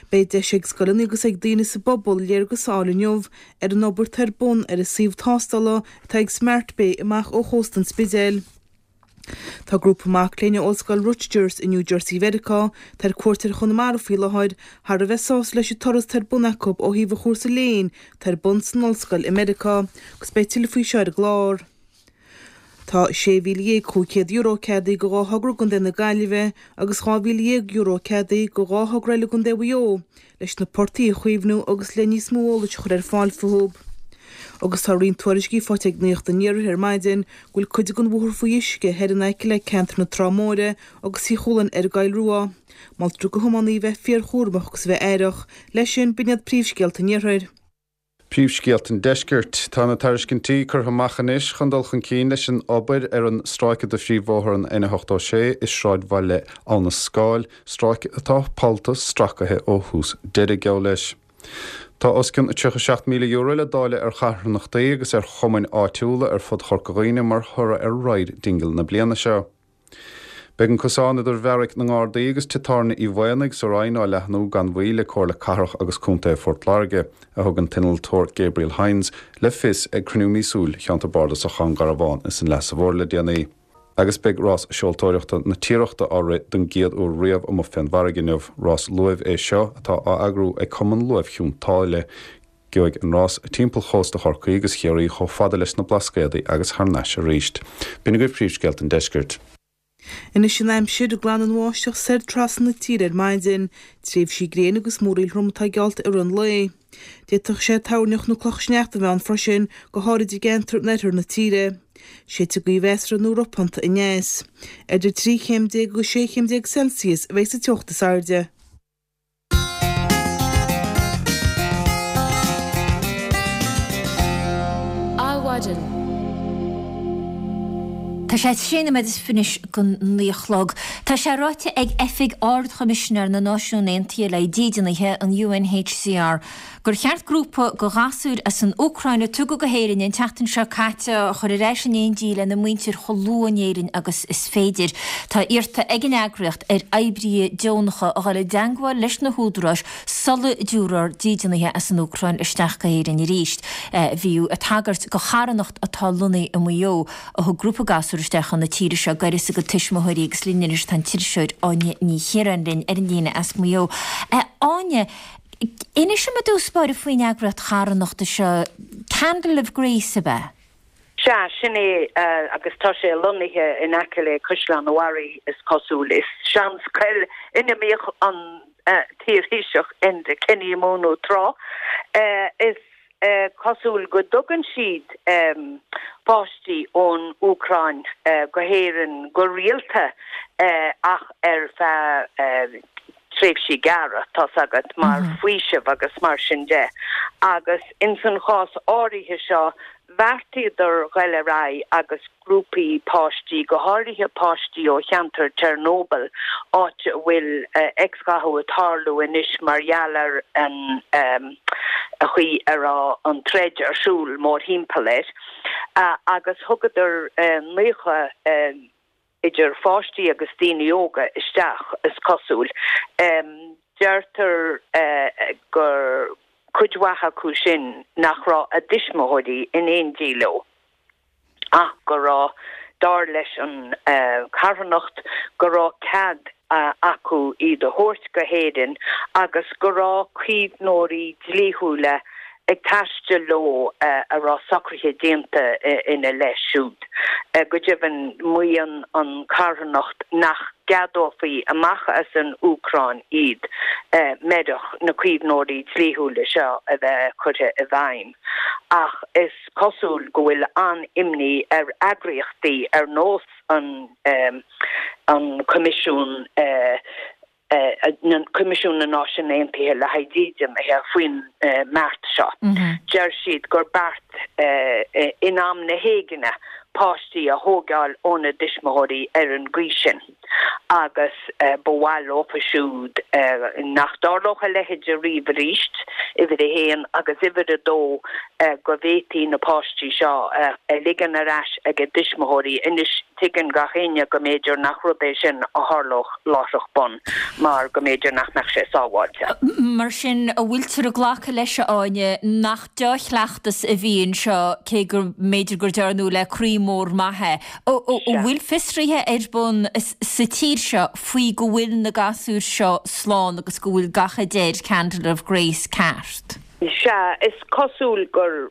Beidh deis ag scoileanna agus ag daoine sa bpobal léargas a fháil inniu ar an obair atá ar bun ar an suíomh tástála atá ag Smart Bay amach ó chósta an Spidéil. Tá grúpa mac léinn ó Ollscoil Rutgers i New Jersey Mheiriceá, atá ar cuairt ar Chonamara faoi láthair, thar a bheith sásta leis an turas atá ar bun acu ó thaobh an chúrsa léinn atá ar bun san ollscoil i Meiriceá agus beidh tuilleadh faoi seo ar an gclár. Tá €16,500 ceadaithe do dhá thogra i gContae na Gaillimhe agus €12,000 ceadaithe do dhá thogra eile i gContae Mhaigh Eo leis na portaigh a chaomhnú agus le níos mó eolais a chur ar fáil fúthu. Agus tá roinnt tuairiscí faighte ag Nuacht an Iarthair ar maidin go bhfuil cuid den bhóthar faoi uisce thoir in aice le ceantar na Trá Móire agus Tigh Chualann ar an gCoill Rua. Moltar do thiománaí bheith fíorchúramach agus a bheith aireach. Leis sin, b'in iad príomhscéalta an Iarthair. Príomhscéalta an Deiscirt. Tá na tairiscintí curtha amach anois chun dul chun cinn leis an obair ar an stráice de phríomhbhóthar an N86 i sráidbhaile Abha na Scáil, stráice atá pollta stracaithe ó thús deireadh, geall leis. Tá os cionn €37,000 le dáileadh ar charthanachtaí agus ar chumainn áitiúla ar fud Chorca Dhuibhne mar thoradh ar Ride Dingle na bliana seo. Beidh an cosán idir Bheairic na nGardaí agus Tigh Tábhairne Uí Mhaonaigh sa Rinn á leathnú gan mhoill ag Comhairle Cathrach agus Contae Phort Láirge, a thug an t-innealtóir Gabriel Hynes le fios ag cruinniú míosúil Cheantar Bardasach Dhún Garbhán is an Leasa Mhóir le déanaí. Agus beidh Rás Seoltóireachta na Tiarachta á rith don gcéad uair riamh amuigh fén bhfarraige inniu. Rás luaimh é seo atá á eagrú ag Cumann Luaimh Chionn tSáile. Gheobhaidh an rás timpeall chósta Chorcaí agus Chiarraí chomh fada leis na Blascaodaí agus thar n-ais arís. B'in agaibh príomhscéalta an deiscirt. Anois an aimsir, Glanfaidh an bháisteach soir trasna na tíre ar maidin. Tréimhsí gréine agus múraíl throm atá geallta i rith an lae. D'fhéadfadh sé toirneach nó clocha sneachta a bheith ann freisin, go háirid i gceantair in oirthear na tíre. Séidfidh gaoth mheasartha nó ropánta aneas. Idir 13 chéim agus 16 chéim Celsius a bheidh sa teocht is airde. Adhmhaidin. Tá sé sé nóiméad is fiche don naoi a chlog. Tá sé ráite ag Oifig Ard-Choimisinéir na Náisiún Aontaithe le haghaidh Dídeanaithe, an UNHCR, gur cheart grúpa de ghasúir as an Úcráin a tugadh go hÉirinn an tseachtain seo caite a chur ar ais in éindí lena muintir chomh luath in Éirinn agus is féidir. Tá iarrta ag an eagraíocht ar oibrithe deonacha a dhul i dteangmháil leis na húdaráis sula dtabharfar dídeanaithe as an Úcráin isteach go hÉirinn arís. Bhíodh ag tagairt do charthanacht atá lonnaithe i Maigh Eo a thug grúpa gasúr isteach chun na tíre seo gaireas a gcuid tuismitheoirí agus linn anois tá an t-iriseoir Áine Ní Chiaráin linn ar an líne as Maigh Eo. Áine, Inis dom i dtús báire faoin eagraíocht charthanachta seo, Candle of Grace, ab ea? Sea, sin é, agus tá sé lonnaithe in aice le Caisleán an Bharraigh, is cosúil. Is seanscoil ina mbíodh an t-iarThaoiseach Enda Kenny ag múineadh tráth. Is cosúil go dtugann siad páistí ón Úcráin go hÉirinn go rialta ach ar feadh tréimhsí gearra, tá's agat, mar faoiseamh agus mar sin de. Agus ins an chás áirithe seo, bheartaíodar ghoil ar aghaidh agus grúpaí páistí, go háirithe páistí ó cheantar Chernobyl, áit a bhfuil x-ghathú ag tarlú anois mar gheall ar an chaoi a raibh an troid ar siúl mórthimpeall air, agus thugadar 90. idir pháistí agus daoine óga isteach, is cosúil. Deirtear gur cuid mhaith acu sin nach raibh a dtuismitheoirí in éindí leo ach go raibh, dar leis an charthanacht, go raibh cead acu iad a thabhairt go hÉirinn agus go raibh caomhnóirí dlíthiúla ag taisteal leo a raibh socruithe déanta ina leith siúd. Go deimhin, maíonn an charthanacht nach gceadófaí amach as an Úcráin iad murach na caomhnóirí dlíthiúla seo a bheith curtha i bhfeidhm. Ach is cosúil go bhfuil an-imní ar eagraíochtaí ar nós an Coimisiún Coimisiún na Náisiún Aontaithe le haghaidh Dídeanaithe faoin mbeart seo. Deir siad gur beart in am na héigne páistí a thógáil óna dtuismitheoirí ar an gcaoi sin agus ba mhaith leofa siúd nach dtarlódh a leithéid ariamh arís, uimhir a haon, agus uimhir a dó go bhféadfaí na páistí seo a ligean ar ais ag a dtuismitheoirí. Anois. Tuigeann gach éinne go mb'fhéidir nach rud é sin a tharlódh láithreach bonn mar go mb'fhéidir nach mbeadh sé sábháilte. Mar sin, an bhfuiltear ag glacadh leis, a Áine, nach dea-chleachtas a bhí anseo, cé go mb'fhéidir gur dearnadh le croí mór maith é? An bhfuil fiosruithe ar bun sa tír seo faoi go bhfuil na gasúir seo slán agus go bhfuil gach a deir Candle of Grace ceart? Sea, is cosúil gur,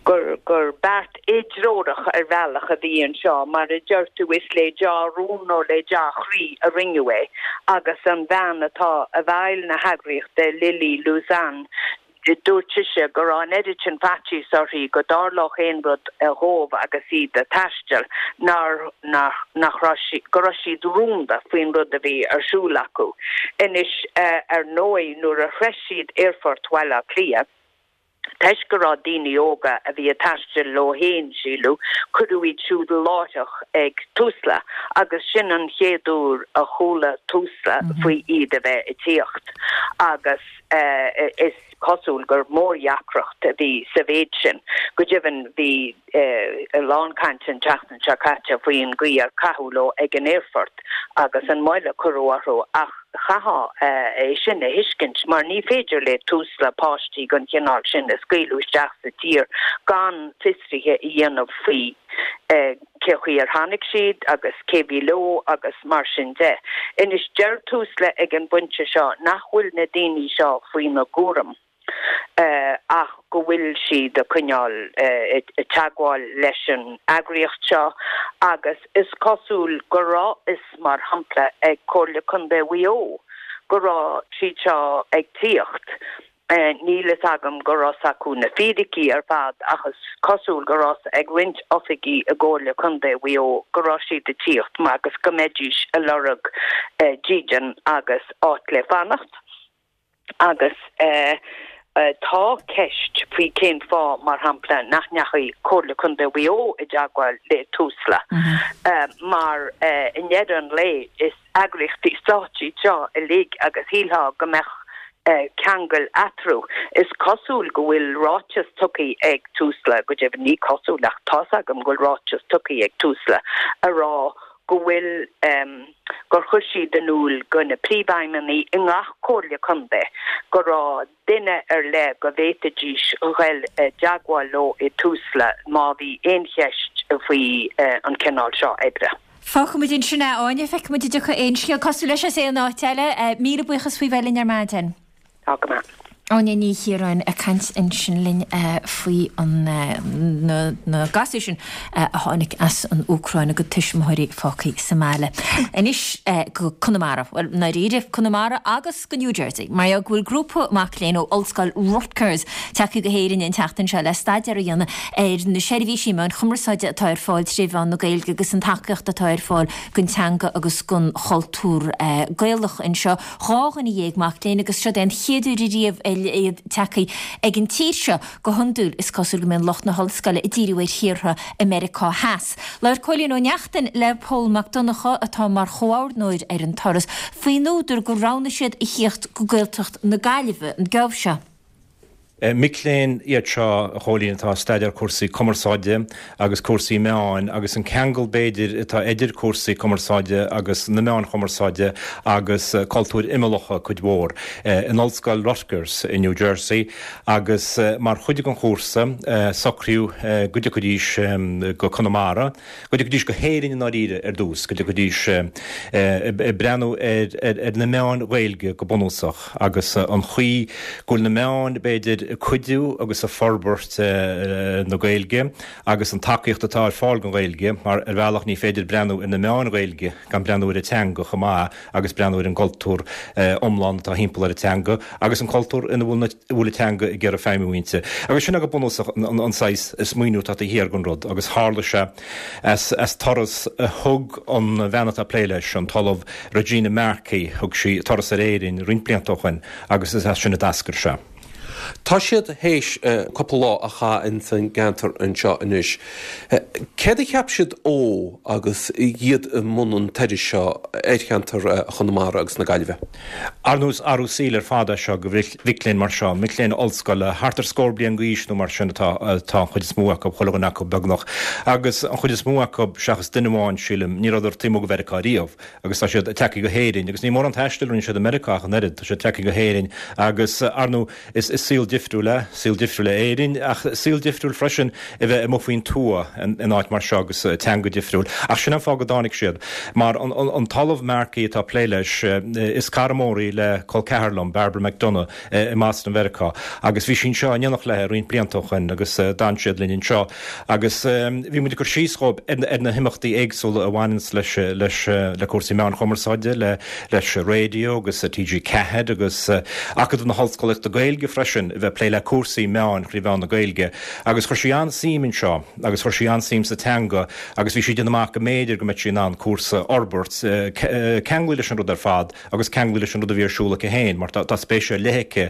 gur, gur beart éidreorach ar bhealach a bhí anseo. Mar a deir tú, is le dea-rún nó le dea-chroí a rinneadh é agus an bhean atá i bhfeighil na heagraíochta, Lily Luzan, dúirt sise go raibh an oiread sin faitíos uirthi go dtarlódh aon rud dhóibh agus iad ag taisteal nár, nach, nach raibh sí, go raibh siad rúnda faoin rud a bhí ar siúl acu. Anois, ar ndóigh, nuair a shroich siad aerfort Bhaile Átha Cliath. Toisc go raibh daoine óga a bhí ag taisteal leo féin, síleadh, cuireadh iad siúd láithreach ag Tusla agus sin an chéad uair a chuala Tusla faoi iad a bheith ag tíocht agus is cosúil gur mórdheacracht a bhí sa mhéid sin. Go deimhin bhí a lán cainte an tseachtain seo caite faoin gcaoi ar caitheadh leo ag an aerfort agus an mhoill a cuireadh orthu ach chaithfeá é sin a thuiscint mar ní féidir le Tusla páistí den chineál sin a scaoileadh isteach sa tír gan fiosruithe a dhéanamh faoi cé chaoi ar tháinig siad agus cé bhí leo agus mar sin de. Anois deir Tusla ag an bpointe seo nach bhfuil na daoine seo faoina gcúram. ach go bhfuil siad ag coinneáil i dteagmháil leis an eagraíocht seo agus is cosúil go raibh fhios, mar shampla, ag Comhairle Contae Mhaigh Eo go raibh siad seo ag tíocht. Níl fhios agam go raibh fhios acu na fíricí ar fad ach is cosúil go raibh fhios ag roinnt oifigí i gComhairle Contae Mhaigh Eo go raibh siad ag tíocht agus go mbeidís ag lorg dídean agus áit le fanacht. Agus tá ceist faoi cén fáth, mar shampla, nach ndeachaigh Comhairle Contae Mhaigh Eo i dteagmháil le Tusla mar i ndeireadh an lae is eagraíochtaí stáit iad seo uilig agus shílfeá go mbeadh ceangal eatarthu. Is cosúil go bhfuil ráiteas tugtha ag Tusla, go deimhin ní cosúil ach tá's agam go bhfuil ráiteas tugtha ag Tusla a rá go bhfuil, gur chuir siad in iúl go na príomhfheidhmeannaigh i ngach comhairle contae go raibh duine ar leith go bhféadfaidís ghoil i dteagmháil leo i Tusla má bhí aon cheist faoi an cineál seo oibre. Fágfaimid ansin é, a Áine. Feicfimid an dtiocfaidh aon scéal cosúil leis as aon áit eile. Míle buíochas faoi bheith linn ar maidin. Tá go maith. Áine Ní Chiaráin ag caint ansin linn faoi na gasúir sin a tháinig as an Úcráin, a gcuid tuismitheoirí fágtha sa mbaile. Anois go Conamara, bhuel, i ndáiríre, Conamara agus go New Jersey, mar gheall go bhfuil grúpa mac léinn ó Ollscoil Rutgers tagtha go hÉirinn an tseachtain seo le staidéar a dhéanamh ar na seirbhísí meáin chumarsáide atá ar fáil tré mheán na Gaeilge agus an tacaíocht atá ar fáil don teanga agus don chultúr Gaelach anseo. 12 dhuine mac léinn agus siod é an chéad uair ariamh iad tagtha ag an tír seo. Go hiondúil is cosúil go mbíonn lucht na hollscoile ag díriú ar thíortha i Meiriceá Theas. Labhair Cóilín Ó Neachtain le Pól Mac Donncha, atá mar chomhordnóir ar an turas, faoin údar gur roghnaigh siad a thíocht go Gaeltacht na Gaillimhe an geábh seo. Mic léinn iad seo, a Chóilín, atá ag staidéar cúrsaí cumarsáide agus cúrsaí meáin agus an ceangal, b'fhéidir, atá idir cúrsaí cumarsáide agus na meáin chumarsáide agus cultúir imeallacha cuid mhór, in Ollscoil Rutgers i New Jersey agus mar chuid den chúrsa socraíodh go dtiocfaidís go Conamara, go dtiocfaidís go hÉirinn i ndáiríre ar dtús, go dtiocfaidís ag breathnú ar na meáin Ghaeilge go bunúsach agus an chaoi go bhfuil na meáin, b'fhéidir, ag cuidiú agus ag forbairt na Gaeilge agus an tacaíocht atá ar fáil don Ghaeilge mar ar bhealach ní féidir breathnú ar na meáin Ghaeilge gan breathnú ar an teanga chomh maith agus breathnú ar an gcultúr iomlán atá thimpeall ar an teanga agus an cultúr ina bhfuil an teanga ag iarraidh feidhmiú inti. Agus sin é go bunúsach an saghas smaoineamh atá taobh thiar den rud agus tharla sé as turas a thug an bhean atá ag plé leis, an tOllamh Regina Markey, thug sí turas ar Éirinn roinnt blianta ó shoin agus is as sin a d'eascair sé. Tá siad théis cúpla lá a chaitheamh ins an gceantar anseo anois. Céard a cheap siad ó agus iad i mbun an turais seo ar cheantar Chonamara agus na Gaillimhe? Ar ndóigh is athrú saoil ar fad é seo do mhic léinn mar seo, mic léinn ollscoile, thart ar scór bliain d'aois nó mar sin atá an chuid is mó acu, chuile dhuine acu beagnach. Agus an chuid is mó acu, seachas duine amháin, sílim, ní rabhadar taobh amuigh de Mheiriceá riamh. Agus tá siad tagtha go hÉirinn, agus ní mórán taistil a rinne siad i Meiriceá ach an oiread, tá siad tagtha go hÉirinn agus, ar ndóigh, is saol difriúil é, saol difriúil é Éirinn, ach saol difriúil freisin a bheith amuigh faoin tuath in áit mar seo agus teanga difriúil. Ach sin an fáth go dtáinig siad. Mar an tOllamh Markey atá ag plé leis, is cara mór í le col ceathar liom, Barbara McDonagh, i mBoston Mheiriceá, agus bhí sí anseo in éineacht léi roinnt blianta ó shoin agus d'fhan siad linn anseo. Agus bhí muid ag cur síos dhóibh ar na himeachtaí éagsúla a bhaineanns leis, leis, le cúrsaí meáin chumarsáide, le, leis an raidió agus TG4 agus Acadamh na hOllscolaíochta Gaeilge freisin, a bheith ag plé le cúrsaí meáin thrí mheán na Gaeilge. Agus chuir sí an-suim anseo agus chuir sí an-suim sa teanga agus bhí sí ag déanamh amach go mb'fhéidir go mbeadh sí in ann cúrsa a fhorbairt, ceanglaithe leis an rud ar fad agus ceanglaithe leis an rud a bhí ar siúl aici féin mar tá spéis ar leith aici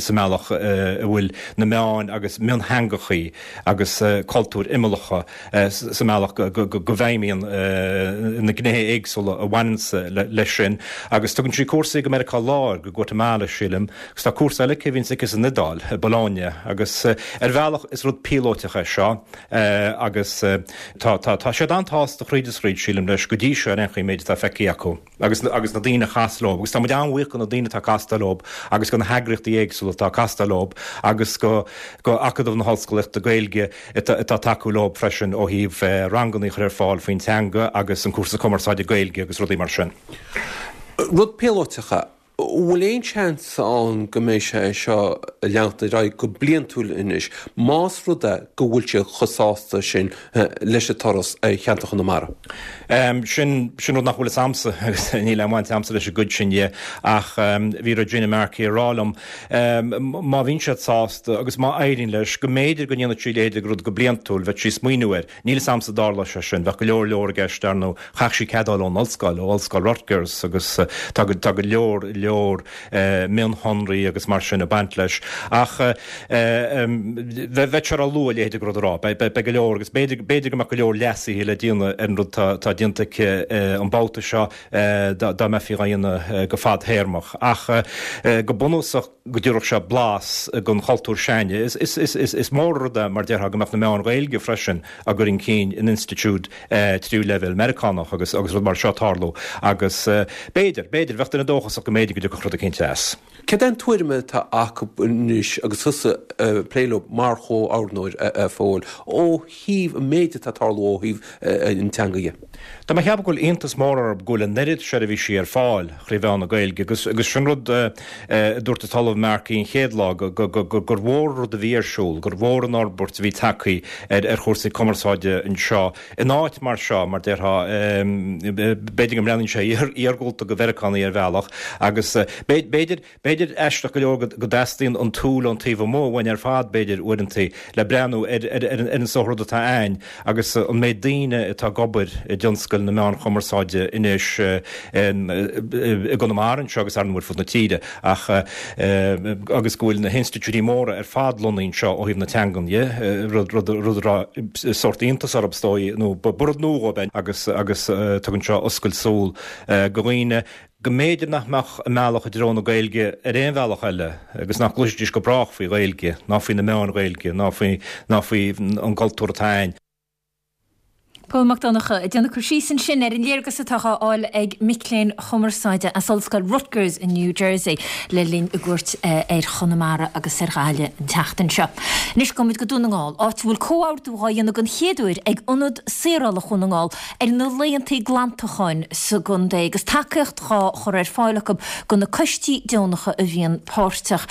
sa mbealach a bhfuil na meáin agus miontheangachaí agus cultúir imeallacha sa mbealach go bhfeidhmíonn na gnéithe éagsúla a bhaineanns leis sin agus tugann sí cúrsaí go Meiriceá Láir, go Guatamala sílim, agus tá cúrsa eile aici a bhíonns aici san Iodáil, i Bologna agus ar bhealach is rud píolóiteach é seo agus tá tá siad an-tsásta thríd is thríd sílim leis go dtí seo ar aon chaoi an méid atá feicthe acu. agus agus na daoine a chas leo agus tá muid an-bhuíoch go na daoine atá ag castáil leo agus go na heagraíochtaí éagsúla atá ag castáil leo agus go go Acadamh na hOllscolaíochta Gaeilge atá ag tacú leo freisin ó thaobh ranganna a chur ar fáil faoin teanga agus an cúrsa cumarsáide Gaeilge agus rudaí mar sin. Rud píolóiteach é. Bhfuil aon seans ann go mbeidh sé seo ag leanacht ar aghaidh go bliantúil anois, más rud é go bhfuil siad chomh sásta sin leis an turas ar cheantar Chonamara? Sin, sin rud nach bhfuil fhios a'msa agus níl aon bhaint a'msa leis an gcuid sin dhe ach bhí Regina Markey ag rá liom má bhíonn siad sásta agus má éiríonn leis go mb'fhéidir go ndéanfadh sí a leithéid de rud go bliantúil, bheadh sí ag smaoineamh air. Níl fhios a'msa an dtarlóidh sé sin, bheadh go leor leor i gceist ar ndóigh, chaithfeadh sí cead a fháil ón ollscoil, ó Ollscoil Rutgers agus tá go, tá go leor leor mionshonraí agus mar sin ag baint leis. Ach bheadh sé ró-luath a leithéid de rud a rá, beidh go leor agus b'fhéidir, b'fhéidir go mbeadh go leor leasuithe le déanamh ar an rud atá déanta aici an babhta seo dá mbeifí dhá dhéanamh go fadthéarmach. Ach go bunúsach go dtabharfadh sé blas den chultúr s'againne. Is mór an rud é mar déarfá go mbeadh na meáin Ghaeilge freisin á gcur chun cinn in institiúid tríú leibhéal Meiriceánach agus agus rud mar seo ag tarlú agus b'fhéidir, b'fhéidir, bheadh duine dóchasach go mb'fhéidir go dtiocfadh rud eicínt as. Céard é an tuairim atá acu anois agus tusa ag plé leo mar chomhordnóir, a Phóil, ó thaobh an méid atá ag tarlú ó thaobh an teanga dhe? Tá mé ag ceapadh go bhfuil iontas mór orthu go bhfuil an oiread seirbhísí ar fáil thrí mheán na Gaeilge agus agus sin rud a dúirt an tOllamh Markey an chéad lá go go go gur mhór an rud a bhí ar siúl, gur mhór an fhorbairt a bhí tagtha ar ar chúrsaí cumarsáide anseo in áit mar seo, mar déarfá, b'fhéidir go mbreathnaíonn sé iargúlta do Mheiriceánaigh ar bhealach agus b'fhéidir, b'fhéidir aisteach go leor go dteastaíonn an tsúil ón taobh amuigh uainn ar fad, b'fhéidir, uaireanta, le breathnú ar an sórt rud atá a'ainn agus an méid daoine atá ag obair i dtionscal na meán chumarsáide anois i gConamara anseo agus ar ndóigh ar fud na tíre ach agus go bhfuil na hinstitiúidí móra ar fad lonnaithe anseo ó thaobh na teangan dhe, rud a raibh sórt iontas orthu is dóigh nó ba rud nua dhóibh é agus agus tugann seo oscailt súl go dhaoine go mb'fhéidir nach mbeadh a mbealach i dtreo na Gaeilge ar aon bhealach eile agus nach gcloisfidís go brách faoi Ghaeilge ná faoi na meáin Ghaeilge ná faoi ná faoi an gcultúr atá a'ainn. Pól Mac Donncha ag déanamh cur síos ansin ar an léargas atá á fháil ag mic léinn chumarsáide as Ollscoil Rutgers i New Jersey le linn a gcuairt ar Chonamara agus ar Ghaillimh an tseachtain seo. Anois gabhfaidh muid go Dún na nGall, áit a bhfuil comhordú dhá dhéanamh den chéad uair ag Ionad Saorála Dhún na nGall ar na laethanta glantacháin sa gcontae agus tacaíocht dhá chur ar fáil acu do na coistí deonacha a bhíonn páirteach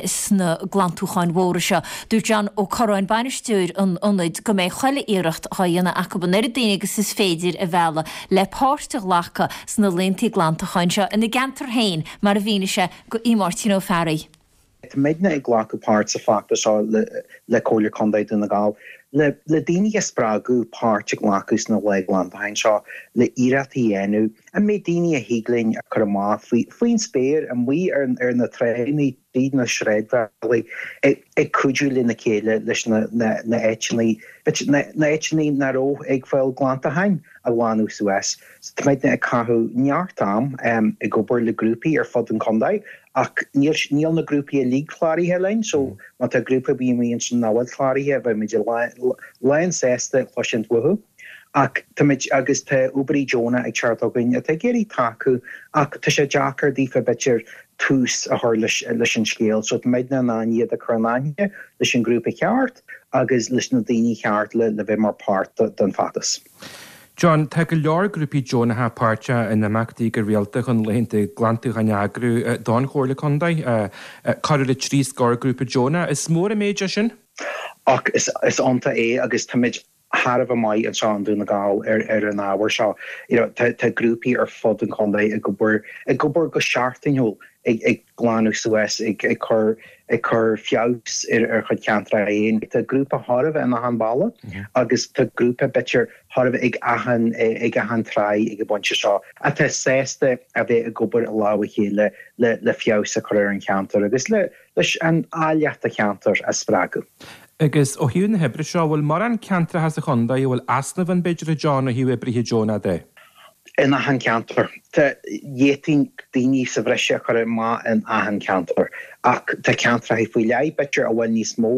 sna glantúcháin mhóra seo. Dúirt John Ó Corráin, bainisteoir an ionaid, go mbeidh chuile iarracht dhá dhéanamh acu an oiread daoine agus is féidir a mhealladh le páirt a ghlacadh sna laethanta glantacháin seo ina gceantar féin, mar a mhínigh sé do Mháirtín Ó Fearraigh. Tá muidne ag glacadh páirt sa feachtas seo le Comhairle Contae Dhún na Gall le daoine a spreagadh páirt a ghlacadh sna lae glantacháin seo, le iarrachtaí a dhéanamh an méid daoine a thig linn a chur amach faoin spéir, amuigh ar na tránna, tríd na sráidbhailí, ag cuidiú lena chéile leis na háiteanna, na háiteanna nach raibh ag fáil glantacháin a ghlanadh suas. So tá muidne ag caitheamh neart am ag obair le grúpaí ar fud an chontae ach níl níl na grúpaí uilig cláraithe linn so má tá grúpa ar bith amuigh ansin nach bhfuil cláraithe bheidh muid lán sásta cloisint uathu. Ach táimid agus tá oibrí deonach ag teacht chugainn atá ag iarraidh tacú ach tá sé deacair daofa b'fhéidir tús a chur leis leis an scéal so tá muidne in ann iad a chur in aithne leis an ghrúpa cheart agus leis na daoine cheart le le bheith mar páirt den feachtas. John, Tá go leor grúpaí deonacha páirteach in imeachtaí go rialta chun laethanta glantúcháin a eagrú don Chomhairle Contae. Corradh le trí scór grúpa deonach. Is mór an méid é sin. Ach is iontach é agus táimid thar a bheith maith anseo i nDún na Gall ar ar an ábhar seo. You know tá tá grúpaí ar fud an chontae ag obair ag obair go seachtainiúil ag ag glanadh suas ag ag cur ag cur feabhas ar ar chuid ceantracha féin. Tá grúpa chóir a bheith in achan baile agus tá grúpa b'fhéidir chóir a bheith ag achan ag achan tráigh ag an bpointe seo atá sásta a bheith ag obair i lámh a chéile le le feabhas a chur ar an cheantar agus le leis an áilleacht an cheantair a spreagadh. Agus ó thaobh na hoibre seo, bhfuil mórán ceantracha sa chontae a bhfuil easnamh ann b'fhéidir a John ó thaobh oibrithe deonacha de? In achan cheantar. Tá, d'fhéadfainn daoine sa bhreis a chur amach in achan cheantar ach tá ceantracha faoi leith b'fhéidir a bhfuil níos mó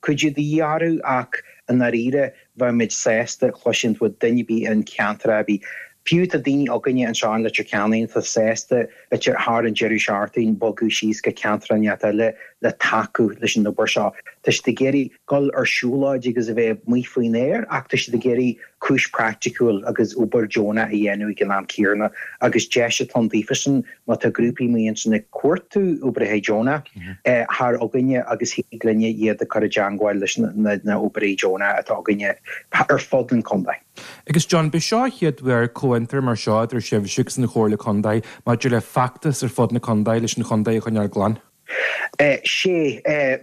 cuidiú de dhíth orthu ach i ndáiríre bheadh muid sásta cloisint ó duine ar bith in ceantar ar bith. Fiú tá daoine againne anseo in Leitir Ceanainn atá sásta b'fhéidir thar an deireadh seachtaine bogadh síos go ceantar inteacht eile. le tacú leis an obair seo. Tá siad ag iarraidh dul ar siúlóid agus a bheith amuigh faoin aer ach tá siad ag iarraidh cúis praiticiúil agus obair deonach a dhéanamh ag an am céanna agus deis atá ann daofasan má tá grúpaí amuigh ansin ag cuartú oibrithe deonach thar againne agus thig linne iad a chur i dteangmháil leis na oibrithe deonach atá againne ar fud an chontae. Agus John, b'é seo an chéad uair comhfhiontar mar seo idir sibhse agus an Chomhairle Contae maidir le feachtas ar fud na contae leis an chontae a choinneáil glan. Sea,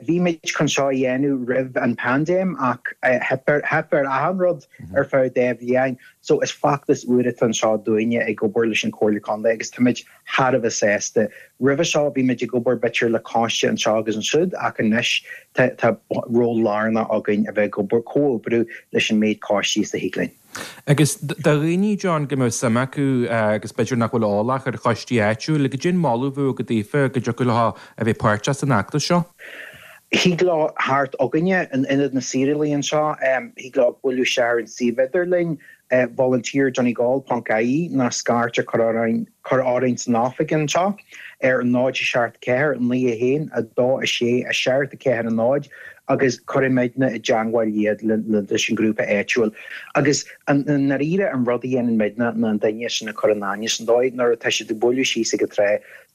bhí muid chun seo a dhéanamh roimh an paindéim ach theip ar achan rud ar feadh dá bhliain. So is feachtas úr atá anseo dúinne ag obair leis an Chomhairle Contae agus táimid thar a bheith sásta. Roimhe seo bhí muid ag obair b'fhéidir le coiste anseo agus ansiúd ach anois tá ról lárnach againn a bheith ag obair, comhoibriú leis an méid coistí is a thig linn. Agus do dhaoine, John, go mbeadh suim acu agus b'fhéidir nach bhfuil eolach ar choistí áitiúla, goidé an moladh a bheadh agat daofa go dtiocfadh leo a bheith páirteach san fheachtas seo? Thig leo theacht chugainne in Ionad na Saorálaí anseo, thig leo bualadh isteach ar an suíomh idirlín, volunteerdonegal ponc ie nó scairt a chur orainn cur orainn san oifig anseo ar 0 7 4 9 1 2 6 7 4 0 agus cuirfidh muidne i dteangmháil iad leis an ghrúpa áitiúil. Agus i ndáiríre an rud a dhéanann muidne ná an duine sin a chur in aithne san dóigh nuair atá siad ag bualadh síos ag an trá,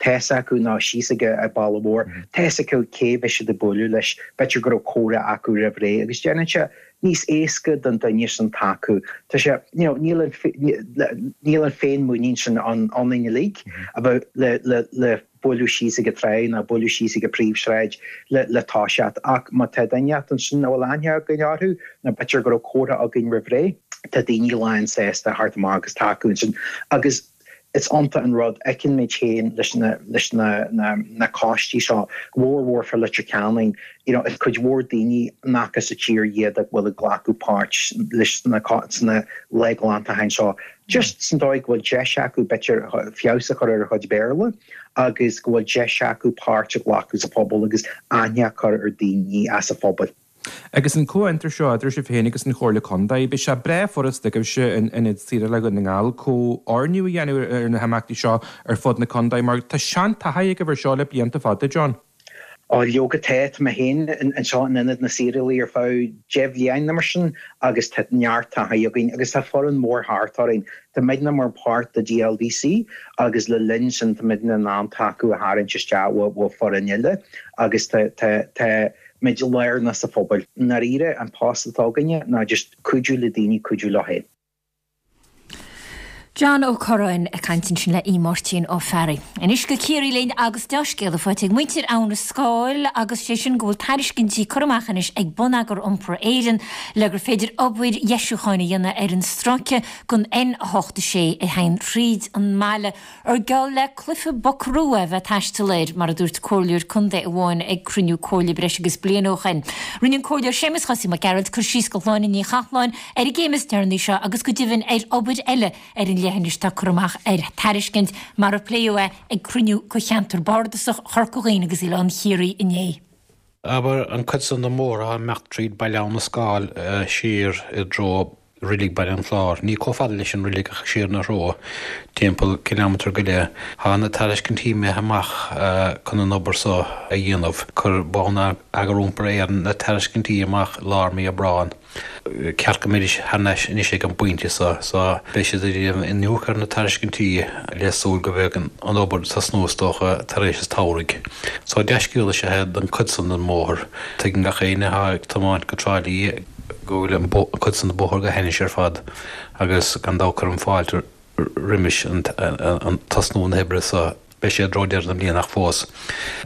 tá's acu nó síos ag an baile mór, tá's acu cé a bheidh siad ag bualadh leis, b'fhéidir go raibh comhrá acu roimh ré agus déanann sé níos éasca don duine sin tacú. Tá sé, you know, níl an, níl an féinmhuinín sin ann ionainn uilig a bheith le, le, le bualadh síos ag an trá nó bualadh síos ag an príomhshráid le, le toiseacht. Ach má tá duine ansin a bhfuil aithne againn orthu nó b'fhéidir go raibh comhrá againn roimh ré, tá daoine lán sásta theacht amach agus tacú ansin. Agus is iontach an rud, fheiceann muid féin leis na, leis na, na, na coistí seo, go mór mhór fá Leitir Ceanainn, you know, is cuid mhór daoine nach as an tír iad a bhfuil ag glacadh páirt leis na, sna lá glantacháin seo. Just san dóigh go bhfuil deis acu b'fhéidir feabhas a chur ar a chuid Béarla agus go bhfuil deis acu páirt a ghlacadh sa phobal agus aithne a chur ar daoine as an phobal. Agus an comhfhiontar seo idir sibh féin agus an Chomhairle Contae, beidh sé breá furasta agaibhse in Ionad Saorála Dhún na nGall comhordú a dhéanamh ar na himeachtaí seo ar fud na contae mar tá seantaithí agaibh ar seo le blianta fada, John. Ó, leoga tá, tá mé féin anseo in Ionad na Saorálaí ar feadh 10 bhliain nó mar sin agus tá neart taithí againn agus tá foireann mór thart orainn. Tá muidne mar páirt de DLDC agus le linn sin tá muidne in ann tacú a tharraingt isteach ó foireann eile agus tá, tá, tá muid lárnach sa phobal. I ndáiríre, an post atá againne ná just cuidiú le daoine cuidiú leo féin. John Ó Curráin ag caint ansin le Aodh Máirtín Ó Fearraigh. Anois go Ciarraí linn agus dea-scéala faighte ag muintir Abha na Scáil agus sé sin go bhfuil tairiscintí curtha amach anois ag Bonneagar Iompair Éireann le gur féidir obair dheisiúcháin a dhéanamh ar an stráice den N86 a théann thríd an mbaile. Ar geall le cluiche buckaroo é a bheith ag taisteal air, mar a dúirt comhairleoir contae amháin ag cruinniú comhairle breis agus bliain ó shin. Rinne an Comhairleoir Séamus Chosaí Mac Gearailt cur síos do Shláine Ní Chathalláin ar an gcéim is deireanaí seo agus go deimhin ar obair eile ar an leithinis atá curtha amach ar tairiscint, mar a pléadh é ag cruinniú de Cheantar Bardasach Chorca Dhuibhne agus Oileán Chiarraí inné. Abair, an cuid san den mbóthar atá ag imeacht tríd Baile Abha na Scáil siar i dtreo Reilig Baile an Chláir, ní chomh fada leis an reilig ach siar ina threo, timpeall cileámatar go leith. Tá na tairiscintí imithe amach chun an obair so a dhéanamh. Chuir Bonneagar Iompair Éireann na tairiscintí amach i lár mí Aibreáin. Ceart go mbeidís thar n-ais anois ag an bpointe so, so beidh siad ag déanamh iniúchadh ar na tairiscintí le súil go mbeidh an obair ag tosnú is dócha tar éis an tsamhraidh. So dea-scéal is ea é don chuid san den mbóthar. Tuigeann gach éinne atá ag tiomáint go Trá Lí go bhfuil an chuid san den bhóthar go hainnis ar fad agus gan dabht cuirim fáilte roimis an tosnú na hoibre so. Beidh sé i dtreo deireadh na bliana ach fós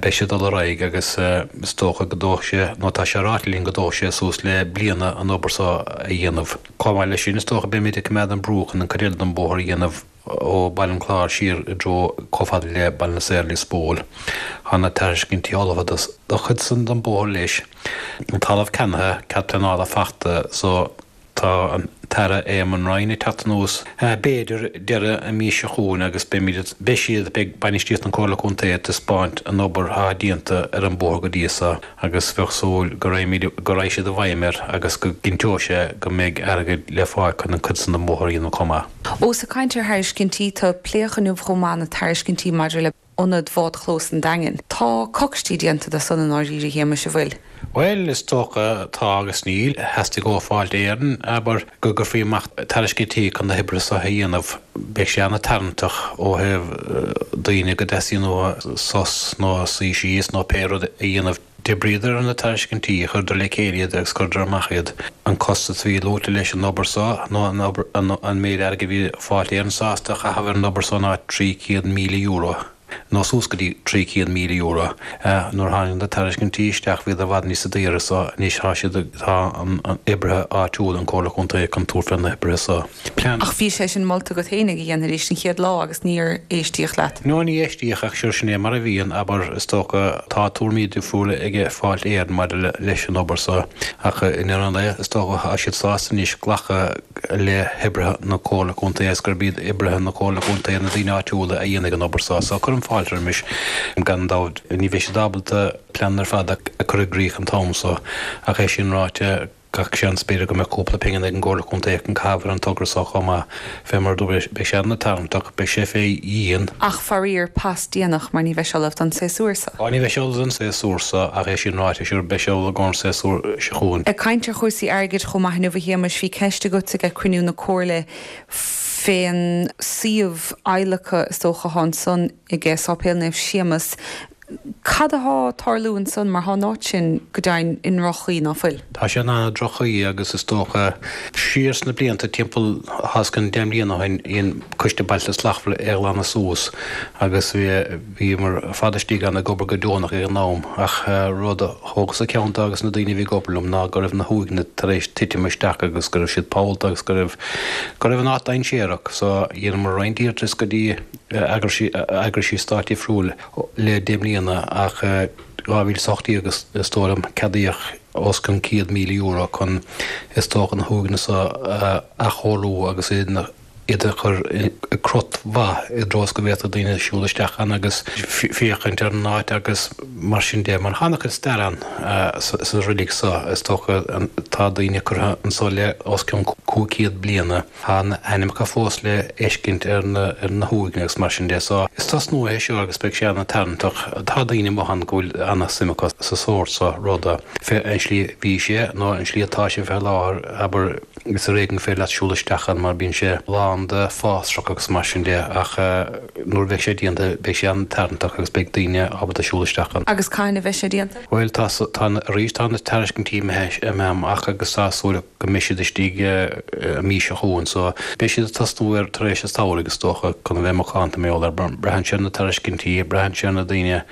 beidh sé ag dul ar aghaidh agus is dócha go dtógfaidh sé, nó tá sé ráite linn go dtógfaidh sé suas le bliana an obair so a dhéanamh. Chomh maith leis sin is dócha beimid ag coimeád an brú chun an cuid eile den bhóthar a dhéanamh ó Baile an Chláir siar i dtreo chomh fada le Baile na Saor Lios Póil. Tá na tairiscintí ullmhaithe do chuid san den bhóthar leis. An talamh ceannaithe, cead pleanála fachta so Tá an tAire Eamon Ryan ag teacht anuas, b'fhéidir, deireadh an mhí seo chugainn agus beimid, beidh siad, beidh bainistíocht an Comhairle Contae ag taispeáint an obair atá déanta ar an bóthar go dtí so agus bheadh súil go raghaimid, go raghaidh siad i bhfeidhm air agus go gcinnteoidh sé go mbeidh airgead le fáil chun an cuid san den bhóthar a dhéanamh chomh maith. Ós ag caint ar thairiscintí, tá pléadh inniu chomh maith na tairiscintí maidir le. Ionad Bhádchlós an Daingin. Tá coicistí déanta de san i ndáiríre, a Shéamais, an bhfuil? Bhuel, is dócha, tá agus níl. Theastaigh ó Fáilte Éireann, abair, go gcuirfí amach tairiscintí chun na hoibre so a dhéanamh. Beidh sé ana-tarraingteach ó thaobh daoine go dteastaíonn uathu sos nó suí síos nó pé rud a dhéanamh. D'oibríodar ar na tairiscintí, chuireadar le chéile iad agus chuireadar amach iad. An costas a bhí luaite leis an obair so, nó an obair, an méid airgid a bhí Fáilte Éireann sásta a chaitheamh ar an obair so ná €300,000, nó suas go dtí €300,000. Nuair a tháinig na tairiscintí isteach bhíodar i bhfad níosa daoire so anois tá siad, tá an oibrithe áitiúla, an Comhairle Contae chun tabhairt fé na hoibrithe so. Plean. Ach bhí sé sin molta agat féinig a dhéanfaidís an chéad lá agus níor éistíodh leat. No, ní éistíodh ach sure sin é mar a bhíonn, abair, is dócha, tá tuairimí difriúla ag Fáilte Éireann maidir leis an obair so ach i ndeireadh an lae is dócha tá siad sásta anois glacadh le hoibrithe na Comhairle Contae agus gurb iad oibrithe na Comhairle Contae, na daoine áitiúla a dhéanfaidh an obair so. So cuirim fáilte roimis. Gan dabht ní bheidh siad ábalta plean ar fad a chur i gcrích an t-am so ach é sin ráite, Gach seans, b'fhéidir go mbeidh cúpla pingin ag an gComhairle Contae chun caitheamh ar an togra so chomh maith. Fé mar a dúradh, beidh sé ana-tarraingteach, beidh sé fé dhíon. Ach faraor, pas déanach mar ní bheidh sé ullamh don séasúr so. Á, ní bheidh sé ullamh don séasúr so, ach é sin ráite, sure, beidh sé ullamh i gcomhair an séasúr seo chugainn. Ag caint ar chúrsaí airgid chomh maith inniu a Shéamais, bhí ceist agat ag cruinniú na Comhairle fén suíomh adhlactha is dócha atá ansan ag Sáipéal Naomh Séamas. Cad athá ag tarlú ansan mar thá an áit sin go deimhin i ndroch-chaoi, ná fuil? Tá sé in an-droch-chaoi agus is dócha siar sna blianta, timpeall os cionn 10 mbliana ó shin, dhein Coiste Bailte Slachtmhara é a ghlanadh suas agus bhíomar ar fad istigh ann ag obair go deonach ag an am ach rud a thógas-sa ceann de agus na daoine a bhí ag obair liom ná go raibh na huaigheanna tar éis titim isteach agus go raibh siad pollta agus go raibh go raibh an áit dainséarach so dheineamar roinnt iarratas go dtí eagraisí stáit difriúil le 10 mbliana ach 2018 is dóigh liom ceadaíodh os cionn €100,000 chun is dócha na huaigheanna so a athchóiriú agus iad a chur i gcrot mhaith i dtreo is go bhféadfadh daoine siúl isteach ann agus féachaint ar an áit agus mar sin de. Mar tá an-chuid stair ann sa reilig so is dócha tá daoine curtha anso le os cionn 500 bliana. Tá na hainmneacha fós le fheiscint ar na huaigheanna agus mar sin de so is tosnú é seo agus beidh sé ana-tarraingteach. Tá daoine amuigh ann go bhfuil ana-suim acu sa sórt so ruda. Fé an slí a bhí sé nó an slí atá sé fé láthair, abair, is ar éigean gur féidir leat siúl isteach ann mar bíonn sé lán de fásrach agus mar sin de ach nuair a bheidh sé déanta beidh sé an-tarraingteach agus beidh daoine ábalta siúl isteach ann. Agus cathain a bheidh sé déanta? Bhuel tá, tá, arís tá na tairiscintí imithe amach agus tá súil go mbeidh siad istigh an mhí seo chugainn so beidh siad ag tosnú air tar éis an tsamhraidh is dócha chun a bheith macánta mar gheall air. Braitheann sé ar na tairiscintí, braitheann sé ar na daoine,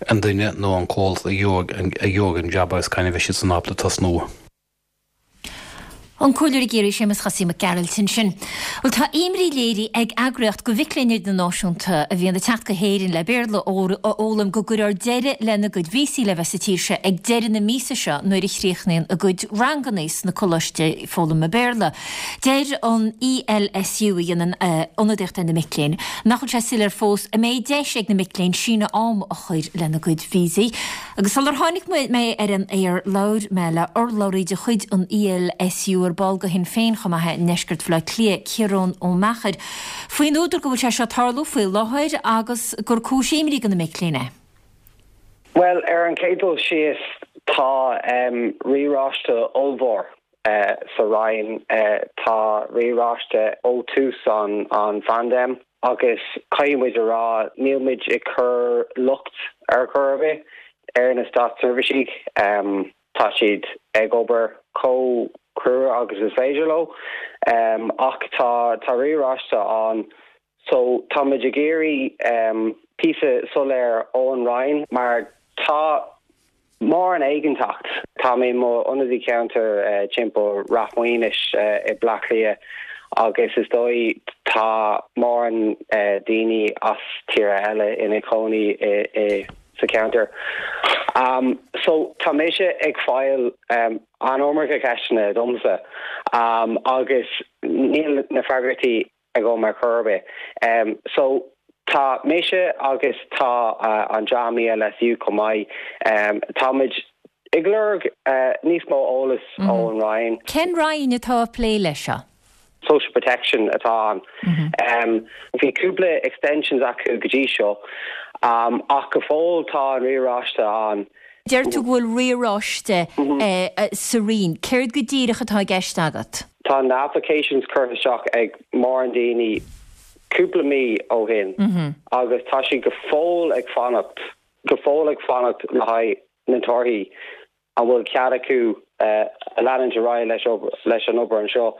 an duine nó an comhlacht a gheobhaidh an jab agus cathain a bheidh siad san ábalta tosnú. An Comhairleoir i gCiarraí Séamus Chosaí Mac Gearailt ansin. Bhuel tá imní léirithe ag eagraíocht do mhic léinn idirnáisiúnta a bhíonn ag teacht go hÉirinn le Béarla a fhoghlaim go gcuirfear deireadh lena gcuid víosaí le bheith sa tír seo ag deireadh na míosa seo nuair a chríochnaíonn a gcuid ranganna sna coláistí foghlama Béarla. Deir an ELSU, a dhéanann ionadaíocht ar na mic léinn, nach bhfuil sé soiléir fós an mbeidh deis ag na mic léinn síneadh ama a chur lena gcuid víosaí. Agus sular tháinig mé ar an aer labhair mé le urlabhraí de chuid an ELSU, ar ball de Shinn Féin chomh maith é i ndeisceart Bhaile Átha Cliath, Ciarán Ó Meachair, faoin údar go bhfuil sé seo ag tarlú faoi láthair agus gur cúis imní do na mic léinn é. Bhuel, ar an chéad dul síos, tá riaráiste ollmhór sa Roinn. Tá riaráiste ó tús an phaindéim agus caithfidh muid a rá, níl muid ag cur locht ar chor ar bith ar na státseirbhísigh. Tá siad ag obair chomh crua agus is féidir leo ach tá tá riaráiste ann so tá muid ag iarraidh píosa soiléir ón Roinn mar tá Mórán éiginnteacht. Tá mé i mo ionadaí ceantair timpeall Rath Maoinis i Bleá Cliath agus is dóigh tá mórán daoine as tíortha eile ina cónaí i sa cheantar. So tá mise ag fáil an iomarca ceisteanna domsa agus níl na freagraí agam ar chor ar bith. So tá mise agus tá an dream ELSU chomh maith, tá muid ag lorg níos mó eolas ón Roinn. Cén Roinn atá ag plé leis seo? Social Protection atá ann. Bhí cúpla extensions acu go dtí seo. Ach go fóill tá an riaráiste ann. Deir tú go bhfuil riaráiste sa Roinn. Céard go díreach atá i gceist agat? Tá na applications curtha isteach ag mórán daoine cúpla mí ó shin agus tá siad go fóill ag fanacht, go fóill ag fanacht le haghaidh na torthaí, an bhfuil cead acu leanúint ar aghaidh leis an obair anseo.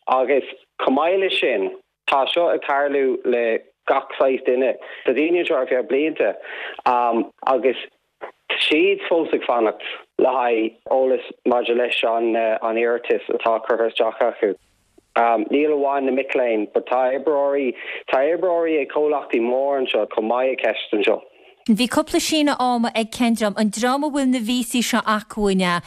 Agus chomh maith leis sin, Tá seo ag tarlú le gach saghas duine. Tá daoine anseo ar feadh blianta agus tá siad fós ag fanacht le haghaidh eolas maidir leis an iarratas atá curtha isteach acu. Níl amháin na mic léinn but tá oibreoirí, tá oibreoirí ag comhlachtaí mór anseo chomh maith i gceist anseo. Bhí cúpla síneadh ama ag cén dream? An dream a bhfuil na víosaí seo acu an ea?